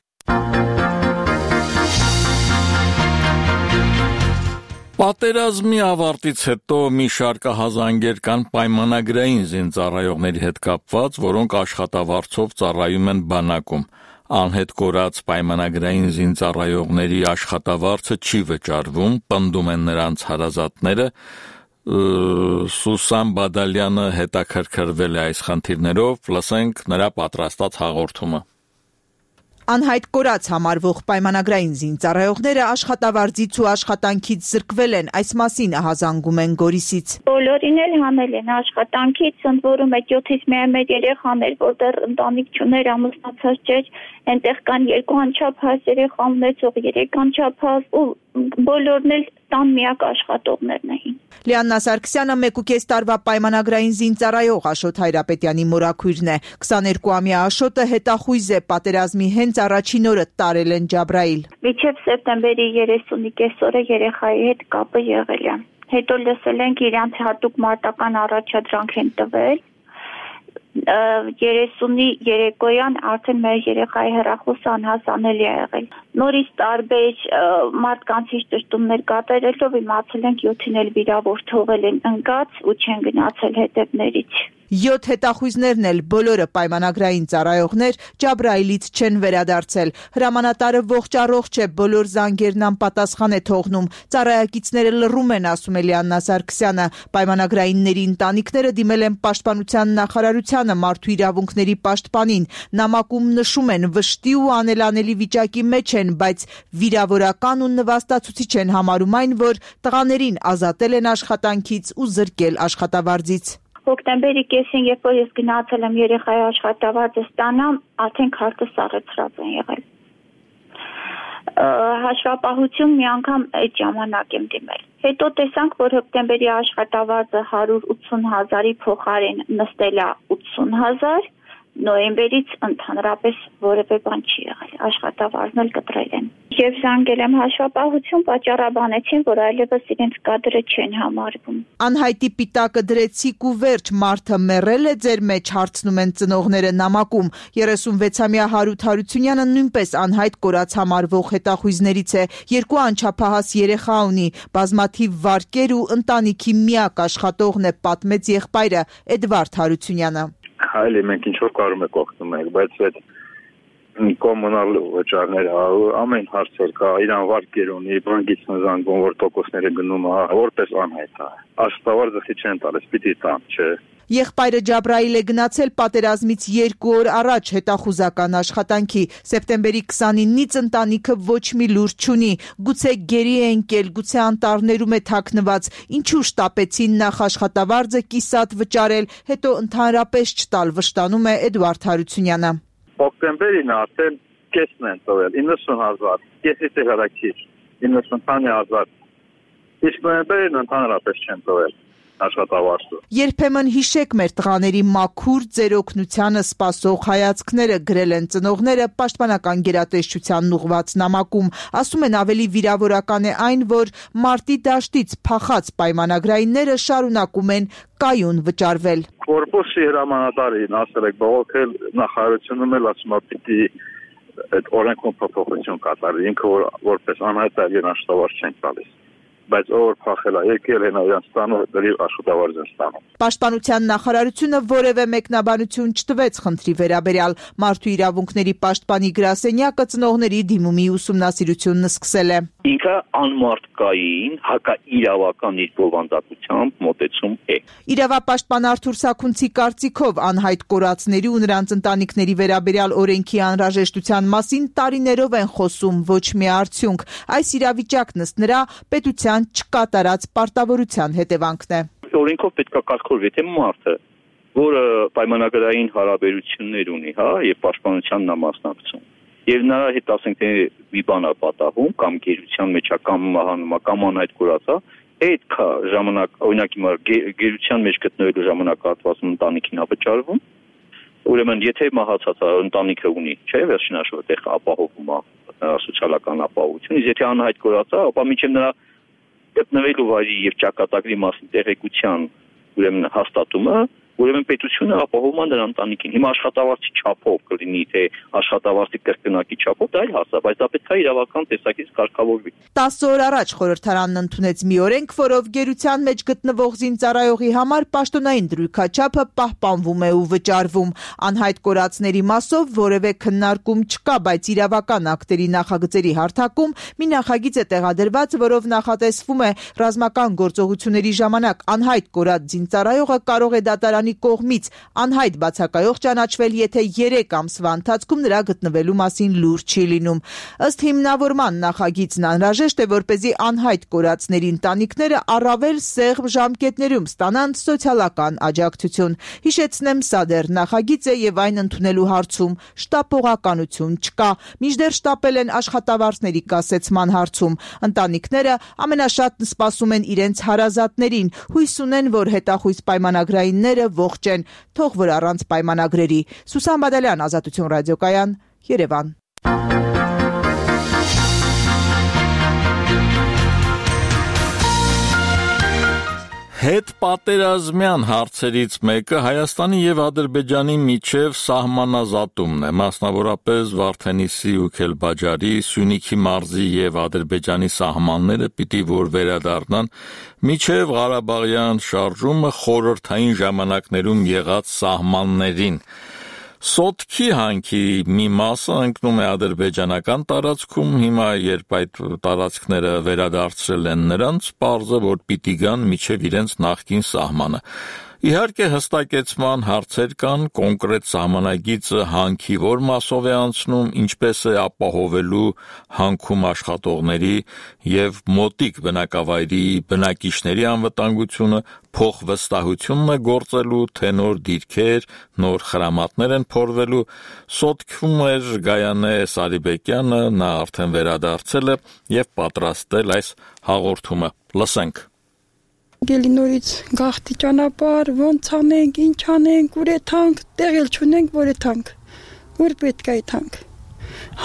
Պատերազմի ավարտից հետո մի շարք հազանգեր կան պայմանագրային զինծառայողների հետ կապված, որոնք աշխատավարձով ծառայում են բանակում։ Անհետ կորած պայմանագրային զինծառայողների աշխատավարձը չի վճարվում, պնդում են նրանց հարազատները։ Սուսան Բադալյանը հետաքրքրվել է այս խնդիրներով, լսենք նրա պատրաստած հաղորդումը։ Անհայտ կորած համարվող պայմանագրային զինծառայողները աշխատավարձից ու աշխատանքից զրկվել են, այս մասին ահազանգում են Գորիսից։ Բոլորին էլ հանել են աշխատանքից, ընդ որում այդ 7-ից միայն մեր երեխաներ, որտեղ ընտանիք չուներ, ամուսնացած չէր, այնտեղ կան 2 անչափահաս երեխա ունեցող, 3 անչափահաս ու բոլորն էլ տան միակ աշխատողներն էին։ Լիաննա Սարգսյանը 1.5 տարվա պայմանագրային զինծառայող Աշոտ Հայրապետյանի մորաքույրն է։ 22-ամյա Աշոտը հետախույզ է, պատերազմի հենց առաջին օրը տարել են Ջաբրայիլ։ Մինչև սեպտեմբերի 30-ի կեսօրը երեխայի հետ կապը եղել է։ Հետո լսել ենք իրանց հատուկ մարտական առաջադրանք են տվել։ 30-ի երեկոյան արդեն մեր երեխայի հեռախոսը անհասանելի է եղել։ Նորից տարբեր մարդկանցից ճշտումներ կատարելով իմացել ենք 7-ին էլ վիրավոր թողել են ընկած ու չեն գնացել հետևներից։ 7 հետախույզներն էլ բոլորը պայմանագրային ծառայողներ Ջաբրայիլից չեն վերադարձել։ Հրամանատարը ողջ է, բոլոր զանգերն անպատասխան է թողնում։ Ծառայակիցները լռում են, ասում է Լիաննա Սարգսյանը։ Պայմանագրայինների ընտանիքները դիմել են Պաշտպանության նախարարությանը, Մարդու իրավունքների պաշտպանին։ Նամակում նշում են, վշտի ու անելանելի վիճակի մեջ են, բայց վիրավորական ու նվաստացուցիչ են համարում այն, որ տղաներին ազատել են աշխատանքից ու զրկել աշխատավարձից։ Հոկտեմբերի կեսին, երբ որ ես գնացել եմ երեխայի աշխատավարձը ստանամ, արդեն քարտը սառեցրած են եղել։ Հաշվապահություն մի անգամ այդ ժամանակ եմ դիմել։ Հետո տեսանք, որ հոկտեմբերի աշխատավարձը 180,000-ի փոխարեն նստել է 80,000, նոյեմբերից ընդհանրապես որևէ բան չի եղել, աշխատավարձն էլ կտրել են։ Եվ զանգել եմ հաշվապահություն, պատճառաբանեցին, որ այլևս իրենց կադրը չեն համարվում։ Անհայտի պիտակը դրեցիք ու վերջ, մարդը մեռել է ձեր մեջ, հարցնում են ծնողները նամակում։ 36-ամյա Հարութ Հարությունյանը նույնպես անհայտ կորած համարվող հետախույզներից է, 2 անչափահաս երեխա ունի, բազմաթիվ վարկեր ու ընտանիքի միակ աշխատողն է, պատմեց եղբայրը Էդվարդ Հարությունյանը։ Այլ մենք ինչ որ կարում եք օգնում ենք, բայց այդ կոմունալ վճարները, ամեն հարցեր կա, իրան վարկեր ունի, բանկից զանգում, որ տոկոսները գնում, որպես անհայտ է։ Աշխատավարձը չեն տալիս, պիտի տան, չէ։ Եղբայրը Ջաբրայիլ է գնացել պատերազմից 2 օր առաջ հետախուզական աշխատանքի։ Սեպտեմբերի 29-ից ընտանիքը ոչ մի լուր չունի։ Գուցե գերի է ընկել, գուցե անտառներում է թաքնված։ Ինչու շտապեցին նախ աշխատավարձը կիսատ վճարել, հետո ընդհանրապես չտալ, վշտանում է Էդուարդ Հարությունյանը։ Օկտեմբերին արդեն կեսն են տվել 90,000, կեսից է հրակիր 90,000, իսկ նոյեմբերին ընդհանրապես չեն տվել աշխատավարձը։ Երբեմն հիշեք մեր տղաների մաքուր ձեր օգնությանը սպասող հայացքները, գրել են ծնողները պաշտպանական գերատեսչությանն ուղղված նամակում։ Ասում են ավելի վիրավորական է այն, որ մարտի դաշտից փախած պայմանագրայինները շարունակում են կայուն վճարվել։ Կորպուսի հրամանատարին ասել եք բողոքել, նախարարությունում էլ ասում է պիտի այդ օրենքով փոփոխություն կատարի, ինքը որպես անհայտ աշխատավարձ չեն տալիս։ Բայց ով փախել է, եկել են իրան ստանում, դրի աշխատավարձ են ստանում։ Պաշտպանության նախարարությունը որևէ մեկնաբանություն չտվեց խնդրի վերաբերյալ։ Մարդու իրավունքների պաշտպանի գրասենյակը ծնողների դիմումի ուսումնասիրությունն սկսել է։ Ինքը անմարդկային, հակաիրավական իր բովանդակությամբ մոտեցում է։ Իրավապաշտպան Արթուր Սաքունցի կարծիքով անհայտ կորածների ու նրանց ընտանիքների վերաբերյալ օրենքի անհրաժեշտության մասին տարիներով են խոսում, ոչ մի արդյունք։ Այս իրավիճակն ըստ նրա պետության չկատարած պարտավորության հետևանքն է։ Օրենքով պետք է կարգավորվի, թե մարդը, որը պայմանագրային հարաբերություններ ունի, եւ պաշտպանությանն է մասնակցում, եւ նրա հետ ասենք թե մի բան է պատահում, կամ գերության մեջ է, կամ մահանում է, կամ անհայտ կորած է, այդ ժամանակ, օրինակ հիմա գերության մեջ գտնվելու ժամանակահատվածում ընտանիքին է վճարվում։ Ուրեմն եթե մահացած ընտանիքը ունի, չէ՞, վերջին հաշվով այդտեղ ապահովում է սոցիալական ապահովություն, իսկ եթե անհայտ կորած է, ապա մինչև նրա գտնվելու վայրի եւ ճակատագրի մասին տեղեկության ուրեմն հաստատումը, ուրեմն պետությունը ապահովում է նրա ընտանիքին։ Հիմա աշխատավարձի չափով կլինի, թե աշխատավարձի կրկնակի չափով, դա այլ հարց է, բայց դա պետք է իրավական տեսակից կարգավորվի։ 10 օր առաջ խորհրդարանն ընդունեց մի օրենք, որով գերության մեջ գտնվող զինծառայողի համար պաշտոնային դրույքաչափը պահպանվում է ու վճարվում։ Անհայտ կորածների մասով որևէ քննարկում չկա, բայց իրավական ակտերի նախագծերի հարթակում մի նախագիծ է տեղադրված, որով նախատեսվում է ռազմական գործողությունների ժամանակ անհայտ կորած զինծառայողը կարող է դատարանի կողմից անհայտ բացակայող ճանաչվել, եթե 3 ամսվա ընթացքում նրա գտնվելու մասին լուր չի լինում։ Ըստ հիմնավորման նախագիծն անհրաժեշտ է, որպեսզի անհայտ կորածների ընտանիքները առավել սեղմ ժամկետներում ստանան սոցիալական աջակցություն։ Հիշեցնեմ, սա դեռ նախագիծ է եւ այն ընդունելու հարցում շտապողականություն չկա։ Մինչդեռ շտապել են աշխատավարձների կասեցման հարցում։ Ընտանիքները ամենաշատն սպասում են իրենց հարազատներին, հույս ունեն, որ հետախույզ պայմանագրայինները ողջ են, թող որ առանց պայմանագրերի։ Սուսան Բադալյան, Ազատություն ռադիոկայան, Երևան։ Հետ պատերազմյան հարցերից մեկը Հայաստանի եւ Ադրբեջանի միջև սահմանազատումն է, մասնավորապես Վարդենիսի ու Քելբաջարի, Սյունիքի մարզի եւ Ադրբեջանի սահմանները պիտի որ վերադառնան միջև Ղարաբաղյան շարժումը խորհրդային ժամանակներում եղած սահմաններին։ Սոտքի հանքի մի մասը ընկնում է ադրբեջանական տարածքում, հիմա երբ այդ տարածքները վերադարձրել են նրանց, պարզ է, որ պիտի գան միջև իրենց նախկին սահմանը։ Իհարկե հստակեցման հարցեր կան, կոնկրետ սահմանագիծը հանքի որ մասով է անցնում, ինչպես է ապահովելու հանքում աշխատողների եւ մոտիկ բնակավայրի բնակիչների անվտանգությունը, փոխվստահությունն է գործելու, թե նոր դիրքեր, նոր խրամատներ են փորվելու։ Սոտքում էր Գայանե Սարիբեկյանը, նա արդեն վերադարձել է եւ պատրաստել այս հաղորդումը։ Լսենք։ Գելինորից գախտի ճանապարհ, ոնց անենք, ինչ անենք, ուր է թանկ, տեղել չունենք, որ է թանկ, ուր պետք է թանկ։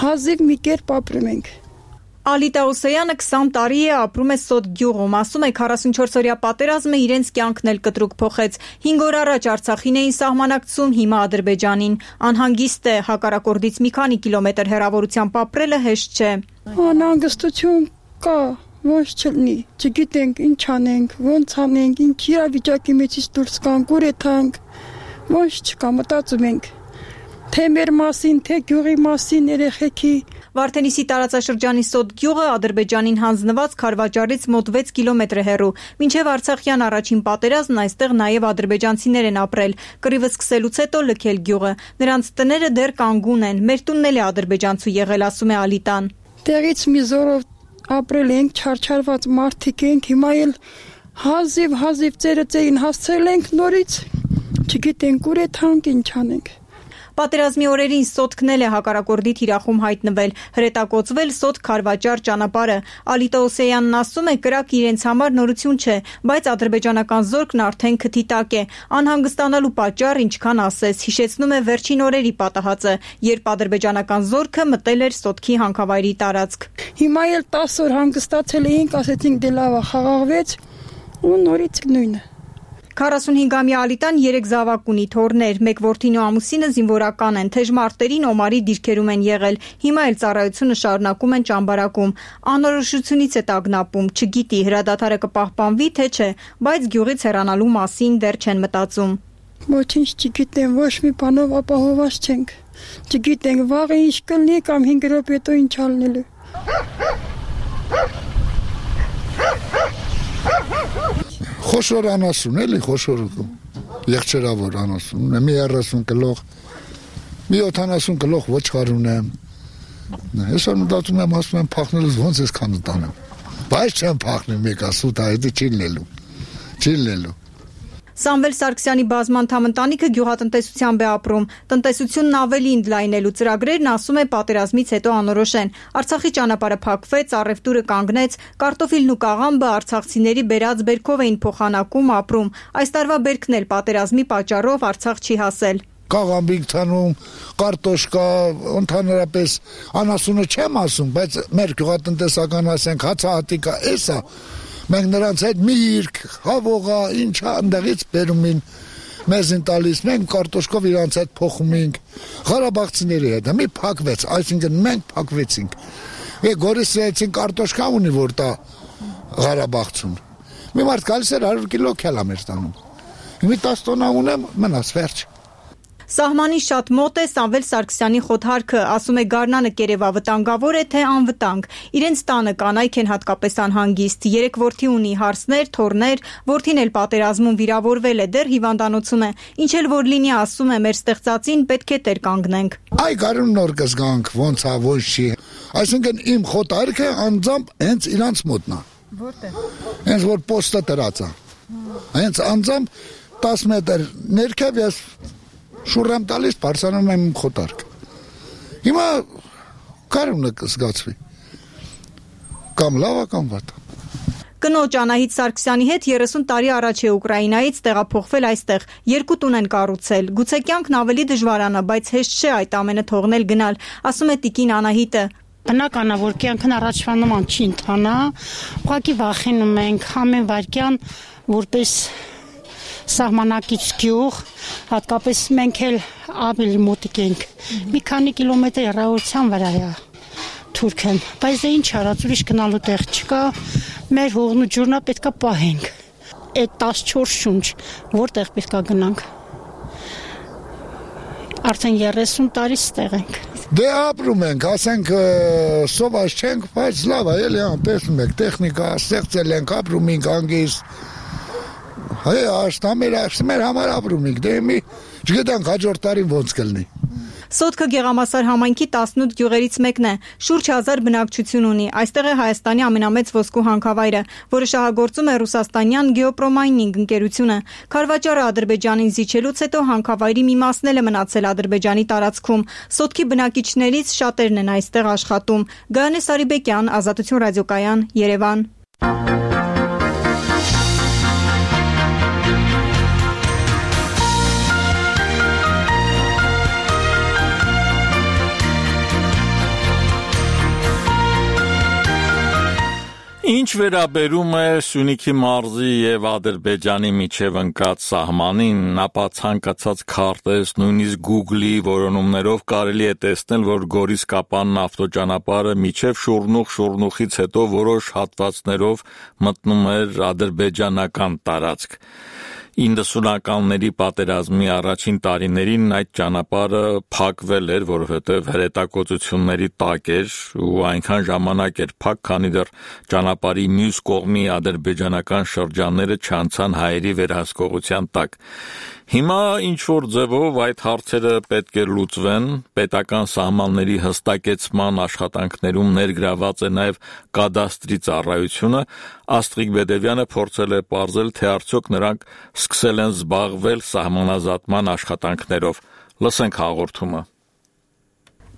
Հազիվ մի կերպ ապրում ենք։ Ալիտա Օսեյանը 20 տարի է ապրում է Սոտ գյուղում, ասում է 44-օրյա պատերազմը իրենց կյանքն էլ կտրուկ փոխեց։ 5 օր առաջ Արցախին էին սահմանակցում, հիմա Ադրբեջանին։ Անհանգիստ է, հակառակորդից մի քանի կիլոմետր հեռավորությամբ ապրելը հեշտ չէ։ Անհանգստություն կա, ոնց չլինի, չգիտենք ինչ անենք, ոնց անենք, ինչ իրավիճակի մեջից դուրս գանք, ուր է թանկ, ոնց չկա, մտածում ենք։ թե մեր մասին, թե գյուղի մասին, երեխեքի։ Վարդենիսի տարածաշրջանի Սոտ գյուղը Ադրբեջանին հանձնված Քարվաճառից մոտ 6 կիլոմետր է հեռու։ Մինչև Արցախյան առաջին պատերազմն այստեղ նաև ադրբեջանցիներ են ապրել։ Կռիվը սկսելուց հետո լքել գյուղը։ Նրանց տները դեռ կանգուն են։ Մեր տունն էլ է ադրբեջանցու եղել, ասում է Ալիտան։ Տեղից մի զորով ապրել ենք, չարչարված մարդիկ ենք, հիմա էլ հազիվ ծերը ծեին հասցրել ենք նորից, չգիտենք ուր է թանկ, ինչ անենք։ Պատերազմի օրերին Սոտքն էլ է հակառակորդի թիրախում հայտնվել, հրետակոծվել Սոտք-Քարվաճառ ճանապարհը։ Ալիտա Օսեյանն ասում է, կրակը իրենց համար նորություն չէ, բայց ադրբեջանական զորքն արդեն քթի տակ է։ Անհանգստանալու պատճառ ինչքան ասես, հիշեցնում է վերջին օրերի պատահածը, երբ ադրբեջանական զորքը մտել էր Սոտքի հանքավայրի տարածք։ Հիմա էլ 10 օր հանգստացել էինք, ասեցինք դե լավ է, խաղաղվեց ու նորից նույնը։ 45-ամյա Ալիտան 3 զավակ ունի, թոռներ, մեկ որդին ու ամուսինը զինվորական են, թեժ մարտերին Օմարի դիրքերում են եղել, հիմա էլ ծառայությունը շարունակում են ճամբարակում, անորոշությունից է տագնապում, չգիտի հրադադարը կպահպանվի թե չէ, բայց գյուղից հեռանալու մասին դեռ չեն մտածում։ Ոչինչ չգիտեմ, ոչ մի բանով ապահովված չենք, չգիտենք վաղը ինչ կլինի կամ 5 րոպե հետո ինչ ալնելու։ Խոշոր անասուն էլի, խոշոր եղջերավոր անասուն, մի 30 կլող, մի 70 կլող ոչխար ունեմ։ Այսօր մտածում եմ, ասում եմ փախնելուց ոնց ես քան տանեմ։ Բայց չեմ փախնի մեկա սուտ այդ չի լինելու։ Սամվել Սարգսյանի բազմանդամ ընտանիքը գյուղատնտեսությամբ է ապրում։ Տնտեսությունն ավելի ընդլայնելու ծրագրերն, ասում է, պատերազմից հետո անորոշ են։ Արցախի ճանապարհը փակվեց, առևտուրը կանգնեց, կարտոֆիլն ու կաղամբը արցախցիների բերած բերքով էին փոխանակում, ապրում։ Այս տարվա բերքն էլ պատերազմի պատճառով Արցախ չի հասել։ Կաղամբինք ցանում, կարտոշկա, ընդհանրապես անասունը չեմ ասում, բայց մեր գյուղատնտեսական ասենք հացահատիկա էսա։ Մենք նրանց հետ միրգ, հավողա, ինչա ընդեղից բերումին մեզին տալիս, մենք կարտոշկով իրանց հետ փոխում ենք, Ղարաբաղցիների հետ, մի փակվեց, այսինքն մենք փակվեցինք։ Գորիսեցին կարտոշկա ունի, որ տա Ղարաբաղցուն։ Մի մարդ գալիս էր 100 կիլո քելա մեր տանում։ Մի 10 տոննա ունեմ, մնաց վերջ։ Սահմանին շատ մոտ է Սամվել Սարգսյանի խոթարքը, ասում է Գառնանը Կերևա վտանգավոր է թե անվտանգ։ Իրենց տանը կանայք են հատկապես անհանգիստ, 3 որդի ունի, հարսներ, թոռներ, որդին էլ պատերազմում վիրավորվել է, դեռ հիվանդանոցում է։ Ինչ էլ որ լինի, ասում է, մեր ստեղծածին պետք է տեր կանգնենք։ Այ գարուն նոր կզգանք, ոնց է, ոնց չի։ Այսինքն իմ խոթարքը անձամբ հենց իրանց մոտնա։ Որտե՞ղ։ Հենց որ պոստը դրած է։ Հենց անձամբ 10 մետր ներքև ես շուրամ տալիս բարձրանում եմ խոտարկ։ Հիմա կարունը կզգացվի։ Կամ լավա կամ վատա։ Կնոջ Անահիտ Սարգսյանի հետ 30 տարի առաջ է Ուկրաինայից տեղափոխվել այստեղ, 2 տուն են կառուցել։ Գուցե կյանքն ավելի դժվարանա, բայց հեշտ չէ այդ ամենը թողնել գնալ, ասում է տիկին Անահիտը։ Բնական է, որ կյանքն առաջվա նման չի ընթանա, ուղղակի վախենում ենք ամեն վայրկյան, որպես սահմանակից գյուղ, հատկապես մենք էլ ավելի մոտիկ ենք, մի քանի կիլոմետր հեռավորության վրա է Թուրքեն, բայց դե ինչ արած, ուրիշ գնալու տեղ չկա, մեր հողն ու ջուրնա պետքա պահենք, այդ 14 շունչ, որտեղ պետքա գնանք, արդեն 30 տարի ստեղ ենք։ Դե ապրում ենք, ասենք սոված չենք, բայց լավ է, էլի տեսնում եք, տեխնիկա ստեղծել ենք, ապրում ենք անգիստ, հայ աշտա մեր համար ապրում ենք, դե մի չգիտենք հաջորդ տարին ոնց կլինի։ Սոտքը Գեղամասար համայնքի 18 գյուղերից մեկն է, շուրջ 1000 բնակչություն ունի, այստեղ է Հայաստանի ամենամեծ ոսկու հանքավայրը, որը շահագործում է ռուսաստանյան Գեոպրոմայնինգ ընկերությունը։ Քարվաճառը Ադրբեջանին զիջելուց հետո հանքավայրի մի մասն էլ է մնացել Ադրբեջանի տարածքում։ Սոտքի բնակիչներից շատերն են այստեղ աշխատում։ Գայանե Սարիբեկյան, Ազատություն ռադիոկայան, Երևան։ Ինչ վերաբերում է Սյունիքի մարզի եւ Ադրբեջանի միջև ընկած սահմանին, ապա ցանկացած քարտեզ, նույնիսկ Google-ի որոնումներով կարելի է տեսնել, որ Գորիս-Կապանն ավտոճանապարհը միջև Շուրնուխից հետո որոշ հատվածներով մտնում էր ադրբեջանական տարածք։ 90-ականների պատերազմի առաջին տարիներին այդ ճանապարհը փակվել էր, որովհետև հրետակոծությունների տակ էր ու այնքան ժամանակ էր փակ, քանի դեռ ճանապարհի մյուս կողմի ադրբեջանական շրջանները չանցան հայերի վերահսկողության տակ։ Հիմա ինչ-որ ձևով այդ հարցերը պետք է լուծվեն, պետական սահմանների հստակեցման աշխատանքներում ներգրաված է նաև կադաստրի ծառայությունը, Աստղիկ Բեդևյանը փորձել է պարզել, թե արդյոք նրանք սկսել են զբաղվել սահմանազատման աշխատանքներով։ Լսենք հաղորդումը։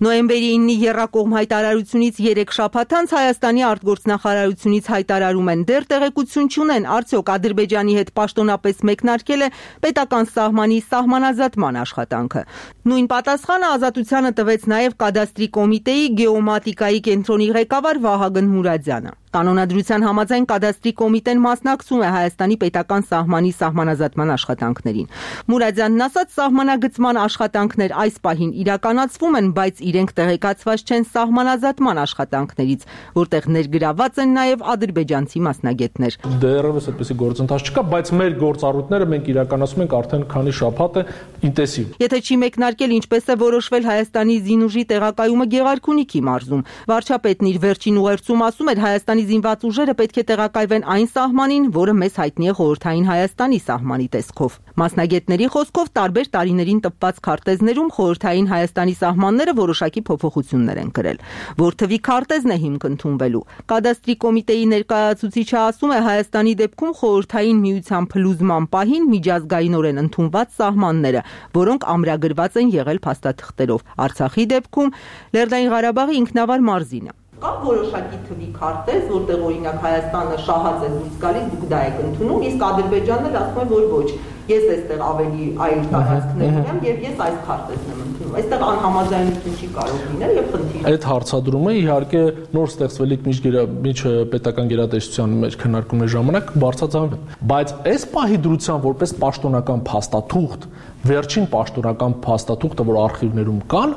Նոյեմբերի 9-ի եռակողմ հայտարարությունից 3 շաբաթ անց Հայաստանի արտգործնախարարությունից հայտարարում են, դեռ տեղեկություն չունեն, արդյոք Ադրբեջանի հետ պաշտոնապես մեկնարկել է պետական սահմանի սահմանազատման աշխատանքը։ Նույն պատասխանը Ազատությանը տվեց նաև կադաստրի կոմիտեի գեոմատիկայի կենտրոնի ղեկավար Վահագն Մուրադյանը։ Կանոնադրության համաձայն կադաստրի կոմիտեն մասնակցում է Հայաստանի պետական սահմանի սահմանազատման աշխատանքներին։ Մուրադյանն ասաց, սահմանագծման աշխատանքներ այս պահին իրականացվում են, բայց իրենք տեղեկացված չեն սահմանազատման աշխատանքներից, որտեղ ներգրաված են նաև ադրբեջանցի մասնագետներ։ Դեռևս այդպիսի գործընթաց չկա, բայց մեր գործառույթները մենք իրականացնում ենք արդեն քանի շաբաթ է ինտենսիվ։ Եթե չի մեկնարկել, ինչպես է որոշվել Հայաստանի զինուժի տեղակայումը Գեղարքունիքի մարզում, վարչապետն իր վերջին ուղերձում ասում էր, Հայաստանի զինված ուժերը պետք է տեղակայվեն այն սահմանին, որը մեզ հայտնի է խորհրդային Հայաստանի սահմանի տեսքով։ Մասնագետների խոսքով տարբեր տարիներին տպված քարտեզներում խորհրդային Հայաստանի սահմանները որոշակի փոփոխություններ են կրել, որ թվի քարտեզն է հիմք ընդունվելու։ Կադաստրի կոմիտեի ներկայացուցիչը ասում է, Հայաստանի դեպքում խորհրդային միության փլուզման պահին միջազգայինորեն ընդունված սահմանները, որոնք ամրագրված են եղել փաստաթղթերով։ Արցախի դեպքում Լեռնային Ղարաբաղի ինքնավար մարզինը։ Կա որոշակի թվի քարտեզ, որտեղ օրինակ Հայաստանը շահած է դուրս գալիս, դուք դա եք ընդունում, իսկ Ադրբեջանն ասում է, որ ոչ, ես այստեղ ավելի այլ տարածքներ ունեմ եւ ես այս քարտեզն եմ ընդունում։ Այստեղ անհամաձայնություն չի կարող լինել եւ խնդիր։ Այդ հարցադրումը իհարկե նոր ստեղծվելիք միջպետական գերատեսչության մեջ քննարկումների ժամանակ բարձրացավ, բայց այս պահի դրության որպես պաշտոնական փաստաթուղթ, վերջին պաշտոնական փաստաթուղթը, որ արխիվներում կան,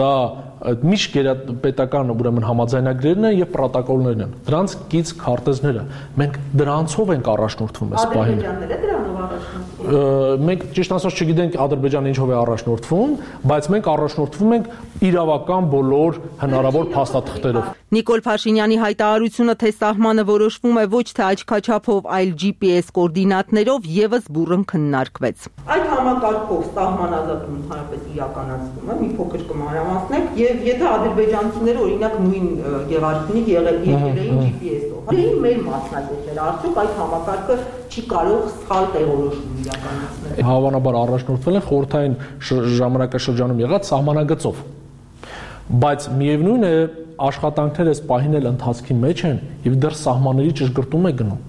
դա միջգերապետական ուրեմն համաձայնագրերն են եւ պրոտոկոլներն են։ Դրանց կից քարտեզները։ Մենք դրանցով ենք առաջնորդվում այս պահին։ Ադրբեջանները դրանով առաջնորդվում։ Մենք ճիշտ ասած չգիտենք Ադրբեջանը ինչով է առաջնորդվում, բայց մենք առաջնորդվում ենք իրավական բոլոր հնարավոր փաստաթղթերով։ Նիկոլ Փաշինյանի հայտարարությունը, թե սահմանը որոշվում է ոչ թե աչքաչափով, այլ GPS կոորդինատներով, եւս բուռն քննարկվեց։ Այդ համակարգով սահմանազատումը ընդհանրապես իրականացվում է, մի փոքր կմանրամասնենք, եւ եթե ադրբեջանցիները օրինակ նույն Գեղարքունիք եղել GPS-ով, այն մեր մասնագետները արդյոք այդ համակարգը չի կարող սխալ տեղորոշում իրականացնել։ Հավանաբար առաջնորդվել են խորհրդային ժամանակաշրջանում եղած սահմանագծով։ Բայց միևնույն է, աշխատանքները այս պահին էլ ընթացքի մեջ են եւ դեռ սահմանների ճշգրտում է գնում։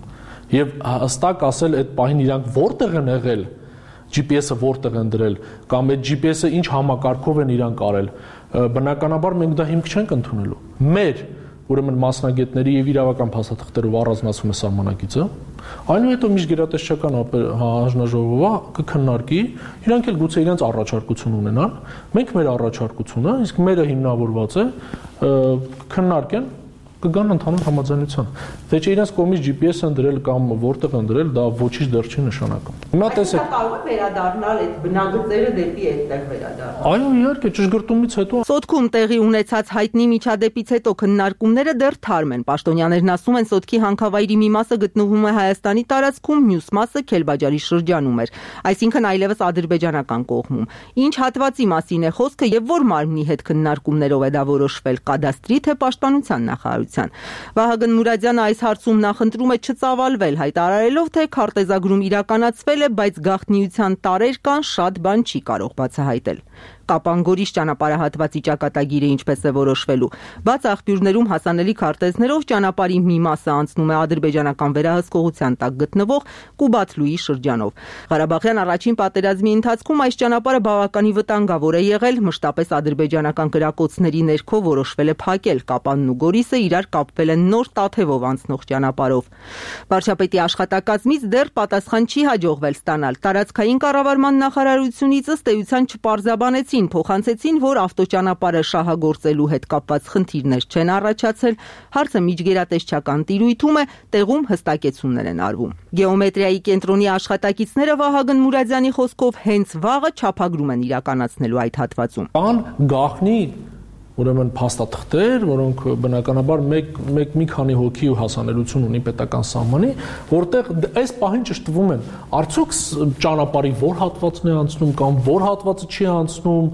Եվ հստակ ասել այդ պահին իրանք որտեղ են եղել, GPS-ը որտեղ են դրել, կամ այդ GPS-ը ինչ համակարգով են իրանք արել, բնականաբար մենք դա հիմք չենք ընդունելու։ Մեր ուրեմն մասնագետների եւ իրավական փաստաթղթերով առանձնացում է սահմանակիցը, այնուհետև միջգերատեսչական հանձնաժողովը կքննարկի, իրանք էլ գուցե իրենց առաջարկություն ունենան, մենք մեր առաջարկությունը, իսկ մերը հիմնավորված է քննարկեն, կգան ընդհանուր համաձայնության։ Թե չէ իրենց կողմից GPS են դրել կամ որտեղ են դրել, դա ոչինչ դեռ չի նշանակում։ Հիմա տեսեք, կարող է վերադառնալ այդ բնագծերը դեպի այդտեղ վերադառնալ։ Այո, իհարկե, ճշգրտումից հետո։ Սոտքում տեղի ունեցած հայտնի միջադեպից հետո քննարկումները դեռ թարմ են։ Պաշտոնյաներն ասում են, Սոտքի հանքավայրի մի մասը գտնվում է Հայաստանի տարածքում, մյուս մասը Քելբաջարի շրջանում էր, այսինքն այլևս ադրբեջանական կողմում։ Ինչ հատվածի մասին է խոսքը եւ որ մարմնի հետ քննարկումներով է դա որոշվել, կադաստրի թե պաշտպանության նախարարության։ Վահագն Մուրադյանը այս հարցում նախընտրում է չծավալվել, հայտարարելով, թե քարտեզագրում իրականացվել է, բայց գաղտնիության տարեր կան, շատ բան չի կարող բացահայտել։ Կապանգորիշ ճանապարհահատվածի ճակատագիրը ինչպես է որոշվելու։ Բաց աղբյուրներում հասանելի քարտեզներով ճանապարհի մի մասը անցնում է ադրբեջանական վերահսկողության տակ գտնվող Կուբաթլուի շրջանով։ Ղարաբաղյան առաջին պատերազմի ընթացքում այս ճանապարհը բավականին վտանգավոր է եղել, մշտապես ադրբեջանական կրակոցների ներքո որոշվել է փակել Կապանն ու Գորիսը իրար կապվել են նոր Տաթևով անցնող ճանապարհով։ Վարչապետի աշխատակազմից դեռ պատասխան չի հաջողվել ստանալ։ Տարածքային կառավարման նախարարությունից ըստ էության չպարզաբանեցին Հայերին փոխանցեցին, որ ավտոճանապարհը շահագործելու հետ կապված խնդիրներ չեն առաջացել, հարցը միջգերատեսչական տիրույթում է, տեղում հստակեցումներ են արվում։ Գեոմետրիայի կենտրոնի աշխատակիցները Վահագն Մուրադյանի խոսքով հենց վաղը չափագրում են իրականացնելու այդ հատվածում։ Կան գաղտնի ուրեմն փաստաթղթեր, որոնք բնականաբար մի քանի հոգի ու հասանելիություն ունի պետական սահմանի, որտեղ այս պահին ճշտվում են, արդյոք ճանապարհի որ հատվածն է անցնում կամ որ հատվածը չի անցնում,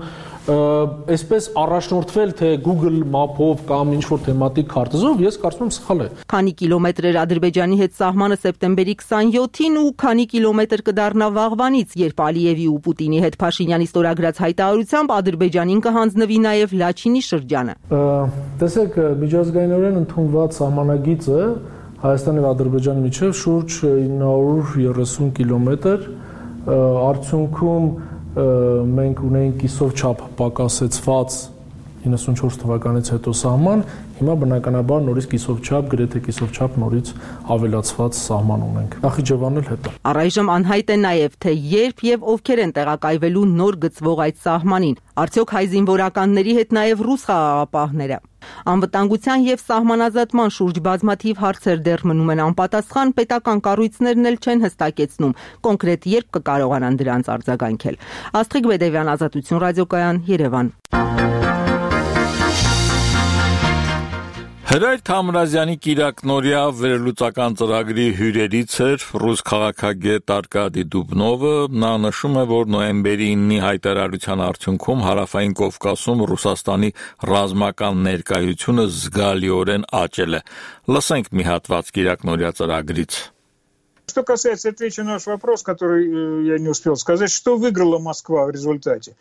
այսպես առաջնորդվել թե Google Map-ով կամ ինչ-որ թեմատիկ քարտեզով, ես կարծում եմ սխալ է։ Քանի կիլոմետր էր Ադրբեջանի հետ սահմանը սեպտեմբերի 27-ին ու քանի կիլոմետր կդառնա վաղվանից, երբ Ալիևի ու Պուտինի հետ Փաշինյանի ստորագրած հայտարարությամբ Ադրբեջանին կհանձնվի նաև Լաչինի շրջանը։ Տեսեք, միջազգայինորեն ընդունված սահմանագիծը Հայաստանի եւ Ադրբեջանի միջև շուրջ 930 կիլոմետր, արդյունքում մենք ունենք կիսով չափ պակասեցված 94 թվականից հետո սահման, հիմա բնականաբար նորից կիսով չափ, գրեթե կիսով չափ նորից ավելացված սահման ունենք։ Նախիջևանն էլ հետո։ Առայժմ անհայտ է նաև, թե երբ եւ ովքեր են տեղակայվելու նոր գծվող այդ սահմանին։ Արդյոք հայ զինվորականների հետ նաև ռուս խաղաղապահները։ Անվտանգության եւ սահմանազատման շուրջ բազմաթիվ հարցեր դեռ մնում են անպատասխան, պետական կառույցներն էլ չեն հստակեցնում կոնկրետ երբ կկարողանան դրանց արձագանքել։ Աստղիկ Բեդևյան, Ազատություն ռադիոկայան, Երևան։ Հրայր Թամրազյանի կիրակնօրյա վերլուծական ծրագրի հյուրերից էր ռուս քաղաքագետ Արկադի Դուբնովը։ Նա նշում է, որ նոյեմբերի 9-ի հայտարարության արդյունքում Հարավային Կովկասում Ռուսաստանի ռազմական ներկայությունը զգալիորեն աճել է։ Լսենք մի հատված կիրակնօրյա ծրագրից։ Что касается, отвечу на ваш вопрос, который я не успел сказать, что выиграла Москва в результате.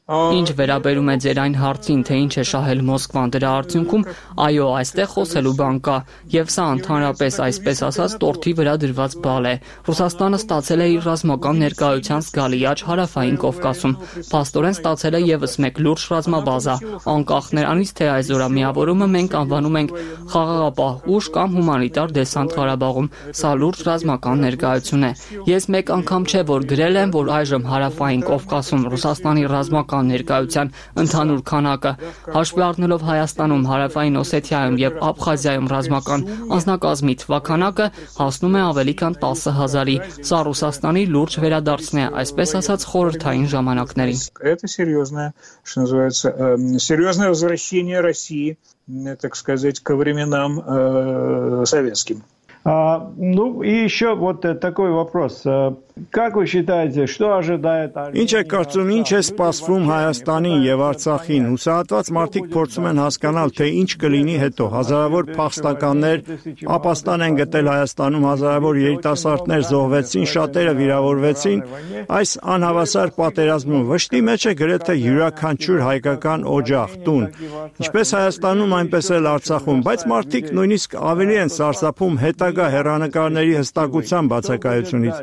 Ինչ վերաբերում է ձեր այն հարցին, թե ինչ է շահել Մոսկվան դրա արդյունքում, այո, այստեղ խոսելու բան կա, եւ սա ընդհանրապես այսպես ասած տորթի վրա դրված բալ է։ Ռուսաստանը ստացել է իր ռազմական ներկայության զգալի աճ Հարավային Կովկասում։ Փաստորեն ստացել է եւս մեկ լուրջ ռազմաբազա, անկախ նրանից, թե այս զորամիավորումը մենք անվանում ենք խաղաղապահ ուժ կամ հումանիտար դեսանտ Ղարաբաղում։ Սա լուրջ ռազմական ներկայություն է։ Ես մեկ անգամ չէ որ գրել եմ, որ այժմ Հարավային Կովկասում Ռուսաստանի ռազմական ներկայության ընդհանուր քանակը, հաշվի առնելով Հայաստանում, Հարավային Օսեթիայում եւ Աբխազիայում ռազմական անձնակազմի թվաքանակը հասնում է ավելի քան 10,000-ի։ Սա Ռուսաստանի լուրջ վերադարձն է, այսպես ասած, խորհրդային ժամանակներին։ Это серьезное, что называется, серьезное возвращение России, так сказать, ко временам советским. Ну и еще вот такой вопрос. Как вы считаете, что ожидает Ինչ է կարծում, ինչ է սպասվում Հայաստանին եւ Արցախին։ Հուսահատված մարդիկ փորձում են հասկանալ, թե ինչ կլինի հետո։ Հազարավոր փախստականներ ապաստան են գտել Հայաստանում, հազարավոր երիտասարդներ զոհվեցին, շատերը վիրավորվեցին։ Այս անհավասար պատերազմում վշտի մեջ է գրեթե յուրաքանչյուր հայկական օջախ, տուն։ Ինչպես Հայաստանում, այնպես էլ Արցախում, բայց մարդիկ նույնիսկ ավելի են սարսափում հետագա հեռանկարների հստակության բացակայությունից։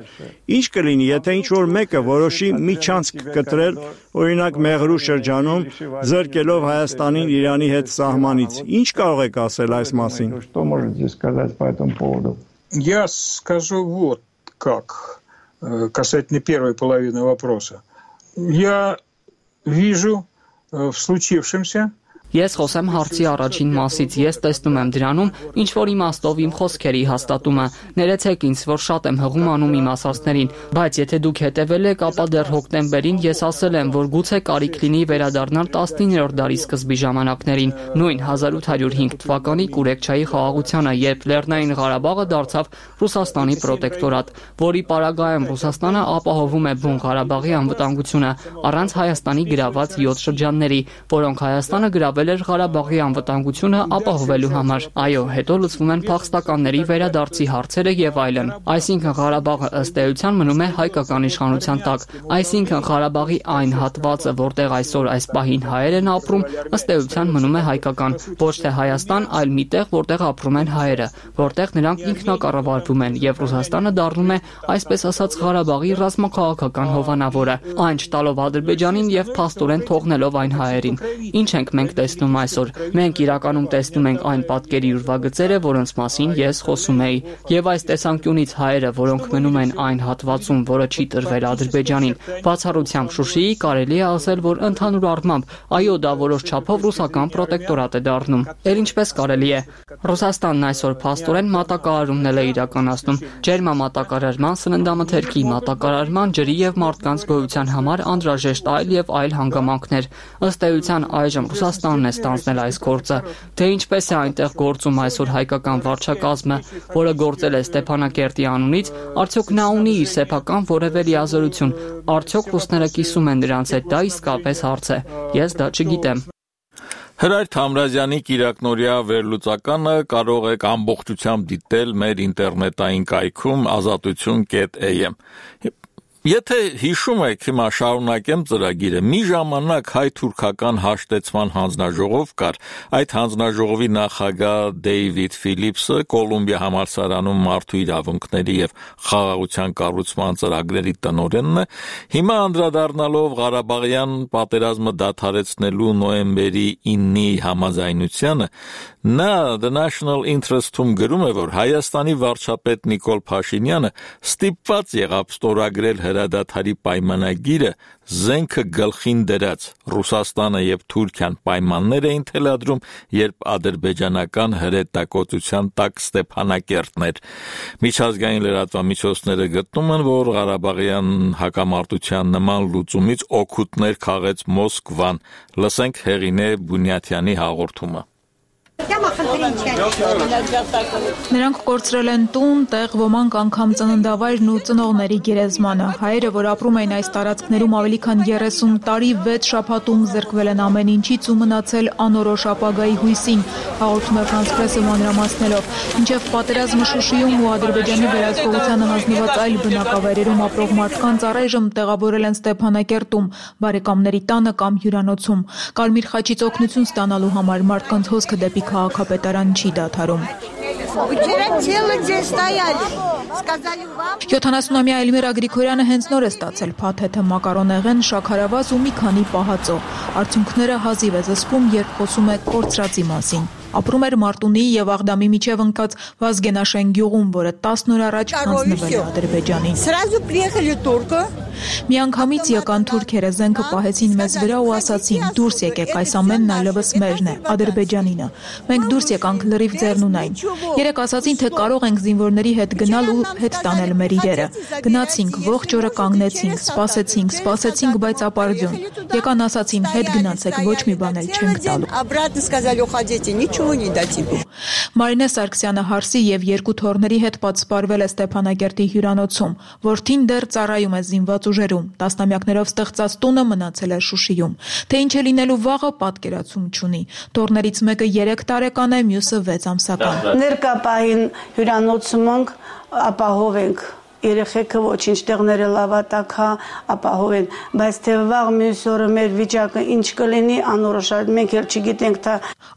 Ինչ կլինի, եթե ինչ-որ մեկը որոշի միջանցք կտրել, օրինակ Մեղրու շրջանում, զրկելով Հայաստանին Իրանի հետ սահմանից։ Ինչ կարող եք ասել այս մասին։ Что можете сказать по этому поводу? Я скажу вот как, касательно первой половины вопроса. Я вижу в случившемся Ես խոսեմ հարցի առաջին մասից, ես տեսնում եմ դրանում ինչ որ իմաստով իմ խոսքերի հաստատումը։ Ներեցեք ինձ, որ շատ եմ հղում անում իմ ասածներին, բայց եթե դուք հետևել եք, ապա դեռ հոկտեմբերին ես ասել եմ, որ գուցե կարիք լինի վերադառնալ 19-րդ դարի սկզբի ժամանակներին, նույն 1805 թվականի Կուրեկչայի խաղաղությանը, երբ Լեռնային Ղարաբաղը դարձավ Ռուսաստանի պրոտեկտորատ, որի պարագայում Ռուսաստանը ապահովում է Բուն Ղարաբաղի անվտանգությունը առանց Հայաստանի գրաված 7 շրջանների, որոնք Հայաստանը գրավել էր Ղարաբաղի անվտանգությունը ապահովելու համար։ Այո, հետո լուծվում են փախստականների վերադարձի հարցերը եւ այլն։ Այսինքն Ղարաբաղը ըստ էության մնում է հայկական իշխանության տակ։ Այսինքն Ղարաբաղի այն հատվածը, որտեղ այսօր այս պահին հայեր են ապրում, ըստ էության մնում է հայկական, ոչ թե Հայաստան, այլ մի տեղ, որտեղ ապրում են հայերը, որտեղ նրանք ինքնակառավարվում են եւ Ռուսաստանը դառնում է, այսպես ասած, Ղարաբաղի ռազմաքաղաքական հովանավորը, այն չտալով Ադրբեջանին եւ փաստորեն թողնելով այն հայերին։ Ինչ ենք մենք տեսնում այսօր։ Մենք իրականում տեսնում ենք այն պատկերի ուրվագծերը, որոնց մասին ես խոսում էի, եւ այս տեսանկյունից հայերը, որոնք մնում են այն հատվածում, որը չի տրվել Ադրբեջանին, բացառությամբ Շուշիի, կարելի է ասել, որ ընդհանուր առմամբ այո, դա որոշ չափով ռուսական պրոտեկտորատ է դառնում։ Էլ ինչպես կարելի է։ Ռուսաստանն այսօր փաստորեն մատակարարումներ է իրականացնում ջերմամատակարարման, սննդամթերքի մատակարարման, ջրի եւ մարդկանց գոյության համար անհրաժեշտ այլ հանգամանքներ։ Ըստ էության այժմ Ռուսաստանն է ստանձնել այս գործը։ Թե ինչպես է այնտեղ գործում այսօր հայկական վարչակազմը, որը գործել է Ստեփանակերտի անունից, արդյոք նա ունի իր սեփական որևէ լիազորություն, արդյոք ռուսները կիսում են դրանց հետ, դա իսկապես հարց է։ Ես դա չգիտեմ։ Հրայր Թամրազյանի կիրակնօրյա վերլուծականը կարող եք ամբողջությամբ դիտել մեր ինտերնետային կայքում azatutun.am։ Եթե հիշում եք, հիմա շարունակեմ ծրագիրը, մի ժամանակ հայ-թուրքական հաշտեցման հանձնաժողով կար, այդ հանձնաժողովի նախագահ Դեյվիդ Ֆիլիպսը Կոլումբիա համալսարանում մարդու իրավունքների եւ խաղաղության կառուցման ծրագրերի տնօրենն է, հիմա անդրադառնալով Ղարաբաղյան պատերազմը դադարեցնելու նոյեմբերի 9-ի համաձայնությանը, նա The National Interest-ում գրում է, որ Հայաստանի վարչապետ Նիկոլ Փաշինյանը ստիպված եղավ ստորագրել հրադադարի պայմանագիրը զենքը գլխին դրած Ռուսաստանը եւ Թուրքիան պայմաններ էին թելադրում, երբ ադրբեջանական հրետակոծության տակ Ստեփանակերտն էր։ Միջազգային լրատվամիջոցները գտնում են, որ Ղարաբաղյան հակամարտության նման լուծումից օգուտներ քաղեց Մոսկվան։ Լսենք Հեղինե Բունյաթյանի հաղորդումը։ Նրանք կորցրել են տուն, տեղ, ոմանք անգամ ծննդավայրն ու ծնողների գերեզմանը։ Հայերը, որ ապրում էին այս տարածքներում ավելի քան 30 տարի, 6 շաբաթում զրկվել են ամեն ինչից ու մնացել անորոշ ապագայի հույսին, հաղորդում է France Press-ը մանրամասնելով։ Մինչև պատերազմը Շուշիում ու Ադրբեջանի վերահսկողությանը հանձնված այլ բնակավայրերում ապրող մարդկանց առայժմ տեղավորել են Ստեփանակերտում, բարեկամների տանը կամ հյուրանոցում։ Կարմիր խաչից օգնություն ստանալու համար մարդկանց հոսքը դեպի քաղաքապետարան չի դադարում։ 70-ամյա Էլմիրա Գրիգորյանը հենց նոր է ստացել փաթեթը մակարոնեղեն, շաքարավազ ու մի քանի պահածո։ Արդյունքները հազիվ է զսպում, երբ խոսում է կորցրածի մասին։ Ապրում էր Մարտունի եւ Աղդամի միջև ընկած Վազգենաշեն գյուղում, որը 10 օր առաջ հանձնվել է Ադրբեջանին։ Միանգամից եկան թուրքերը, զենքը պահեցին մեզ վրա ու ասացին՝ դուրս եկեք, այս ամենն այլևս մերն է, Ադրբեջանինը։ Մենք դուրս եկանք լրիվ ձեռնունայն։ Երեք ասացին, թե կարող ենք զինվորների հետ գնալ ու հետ տանել մեր իրերը։ Գնացինք, ողջ օրը կանգնեցինք, սպասեցինք, բայց ապարդյուն։ Եկան ասացին՝ հետ գնացեք, ոչ մի բան էլ չենք տալու։ Մարինե Սարգսյանը հարսի եւ երկու թոռների հետ պատսպարվել է Ստեփանակերտի հյուրանոցում, որդին դեռ ծառայում է զինված ուժերում, տասնամյակներով ստեղծած տունը մնացել է Շուշիում։ Թե ինչ է լինելու վաղը, պատկերացում չունի։ Թոռներից մեկը 3 տարեկան է, մյուսը 6 ամսական։ Ներկա պահին հյուրանոցում ենք, ապահով ենք երեխեքը ոչինչ տեղները լավատակա ապահով են, բայց թե վաղ մյուս օրը մեր վիճակը ինչ կլինի անորոշ, մենք էլ չգիտենք թե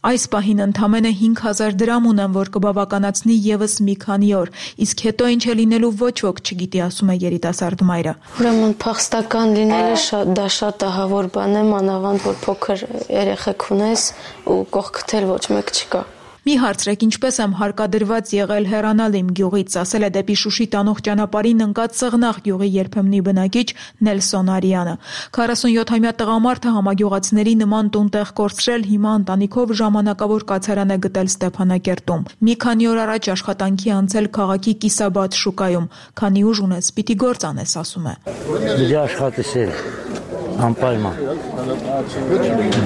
այս պահին ընդամենը 5000 դրամ ունեմ, որ կբավականացնի եւս մի քանի օր, իսկ հետո ինչ է լինելու ոչ ոք չգիտի, ասում է երիտասարդ մայրը։ Ուրեմն փախստական լինելը դա շատ ահավոր բան է, մանավանդ որ փոքր երեխեք ունես ու կողքդ էլ ոչ մեկ չկա։ Մի հարցրեք, ինչպես եմ հարկադրված եղել հեռանալ իմ գյուղից, ասել է դեպի Շուշի տանող ճանապարհին ընկած Սեղնաղ գյուղի երբեմնի բնակիչ Նելսոն Արյանը։ 47-ամյա տղամարդը համագյուղացիների նման տուն-տեղ կորցրել, հիմա ընտանիքով ժամանակավոր կացարան է գտել Ստեփանակերտում։ Մի քանի օր առաջ աշխատանքի անցել քաղաքի Կիսաբադ շուկայում, քանի ուժ ունես, պիտի գործ անես, ասում է։ Դե աշխատես անպայման։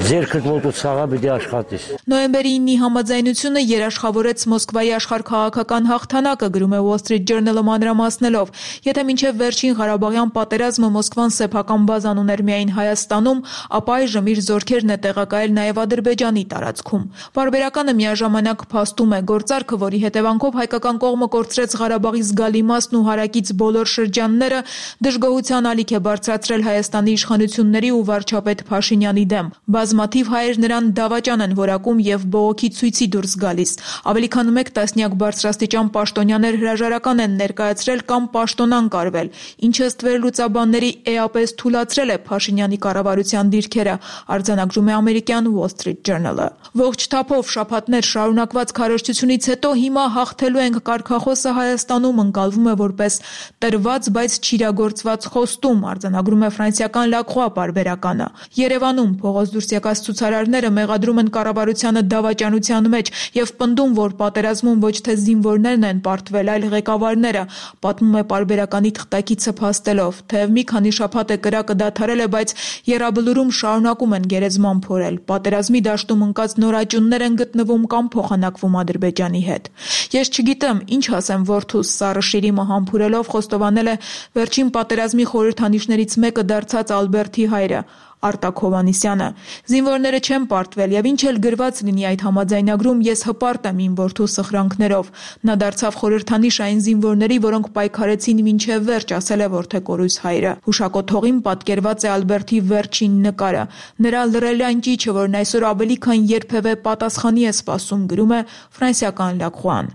Ձերքդ ոտու ցաղա պիտի աշխատես։ Նոյեմբերի 9-ի համաձայնությունը երաշխավորեց Մոսկվայի աշխարհքաղաքական հաղթանակը, գրում է Wall Street Journal-ը մանրամասնելով։ Եթե մինչև վերջին Ղարաբաղյան պատերազմը Մոսկվան սեփական բազան ուներ միայն Հայաստանում, ապա այժմ իր զորքերն է տեղակայել նաև Ադրբեջանի տարածքում։ Բարբերականը միաժամանակ փաստում է գործարքը, որի հետևանքով հայկական կողմը կորցրեց Ղարաբաղի զգալի մասն ու հարակից բոլոր շրջանները, դժգոհության ալիք է բարձրացրել Հայաստանի իշխանությունը պարտությունների ու վարչապետ Փաշինյանի դեմ։ Բազմաթիվ հայեր նրան դավաճան են որակում եւ բողոքի ցույցի դուրս գալիս։ Ավելի քան 1 տասնյակ բարձրաստիճան պաշտոնյաներ հրաժարական են ներկայացրել կամ պաշտոնան կարվել, ինչը ըստ վերլուծաբանների էապես թուլացրել է Փաշինյանի կառավարության դիրքերը, արձանագրում է ամերիկյան Wall Street Journal-ը։ Ողջ թափով շաբաթներ շարունակված քարոզչությունից հետո հիմա հաղթելու ենք կարգախոսը Հայաստանում ընկալվում է որպես տրված, բայց չիրագործված խոստում, արձանագրում է ֆրանսիական La Croix պարբերականը։ Երևանում փողոց դուրս եկած ցուցարարները մեղադրում են կառավարությանը դավաճանության մեջ եւ պնդում, որ պատերազմում ոչ թե զինվորներն են պարտվել, այլ ղեկավարները, պատմում է պարբերականի թղթակիցը փաստելով, թեև մի քանի շաբաթ է կրակը դադարել է, բայց Եռաբլուրում շարունակում են գերեզման փորել։ Պատերազմի դաշտում ընկած նորաճուններ են գտնվում կամ փոխանակվում Ադրբեջանի հետ։ Ես չգիտեմ, ինչ ասեմ որդուս, Սառը Շիրիմը համբուրելով խոստովանել է վերջին պատերազմի խորհրդանիշներից մեկը դարձած Ալբերտի հայրը Արտակ Հովհաննիսյանը։ Զինվորները չեն պարտվել եւ ինչ էլ գրված լինի այդ համաձայնագրում, ես հպարտ եմ իմ որդու սխրանքներով։ Նա դարձավ խորհրդանիշ այն զինվորների, որոնք պայքարեցին մինչև վերջ, ասել է որդեկորույս հայրը։ Հուշակոթողին պատկերված է Ալբերտի վերջին նկարը։ Նրա լռելյան ճիչը, որն այսօր ավելի քան երբևէ պատասխանի է սպասում, գրում է ֆրանսիական La Croix-ն։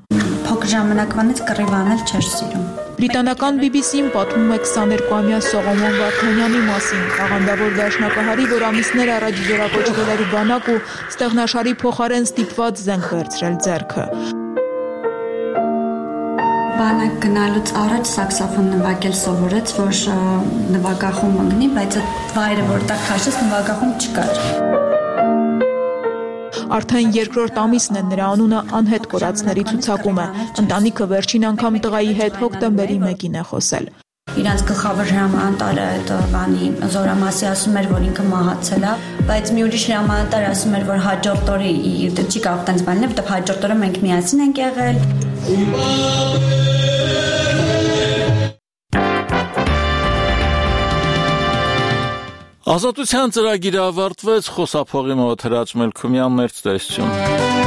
Փոքր ժամանակվանից կռիվանել չէր սիրում։ Բրիտանական BBC-ն պատմում է 22-ամյա Սողոմոն Վարդանյանի մասին, աղանդավոր դաշնակահարի, որ ամիսներ առաջ զորակոչվել էր բանակ ու ստեղնաշարի փոխարեն ստիպված զենք վերցրել ձեռքը։ Բանակ գնալուց առաջ սաքսոֆոն նվագել սովորեց, որ նվագախումբ ընկնի, բայց այդ վայրը, որտեղ քաշեց, նվագախումբ չկար։ Արդեն երկրորդ ամիսն է նրա անունը անհետ կորածների ցուցակում է։ Ընտանիքը վերջին անգամ տղայի հետ հոկտեմբերի 1-ին է խոսել։ Իրանց գլխավոր հրամանատարը այդ բանի զորամասի ասում էր, որ ինքը մահացել է, բայց մի ուրիշ հրամանատար ասում էր, որ հաջորդ օրը չի կարող տենց բանել, որտեղ հաջորդ օրը մենք միասին ենք եղել։ Ազատության ծրագիրը ավարտվեց, խոսափողի մոտ Հրաչ Մելքումյանն էր, ցտեսություն։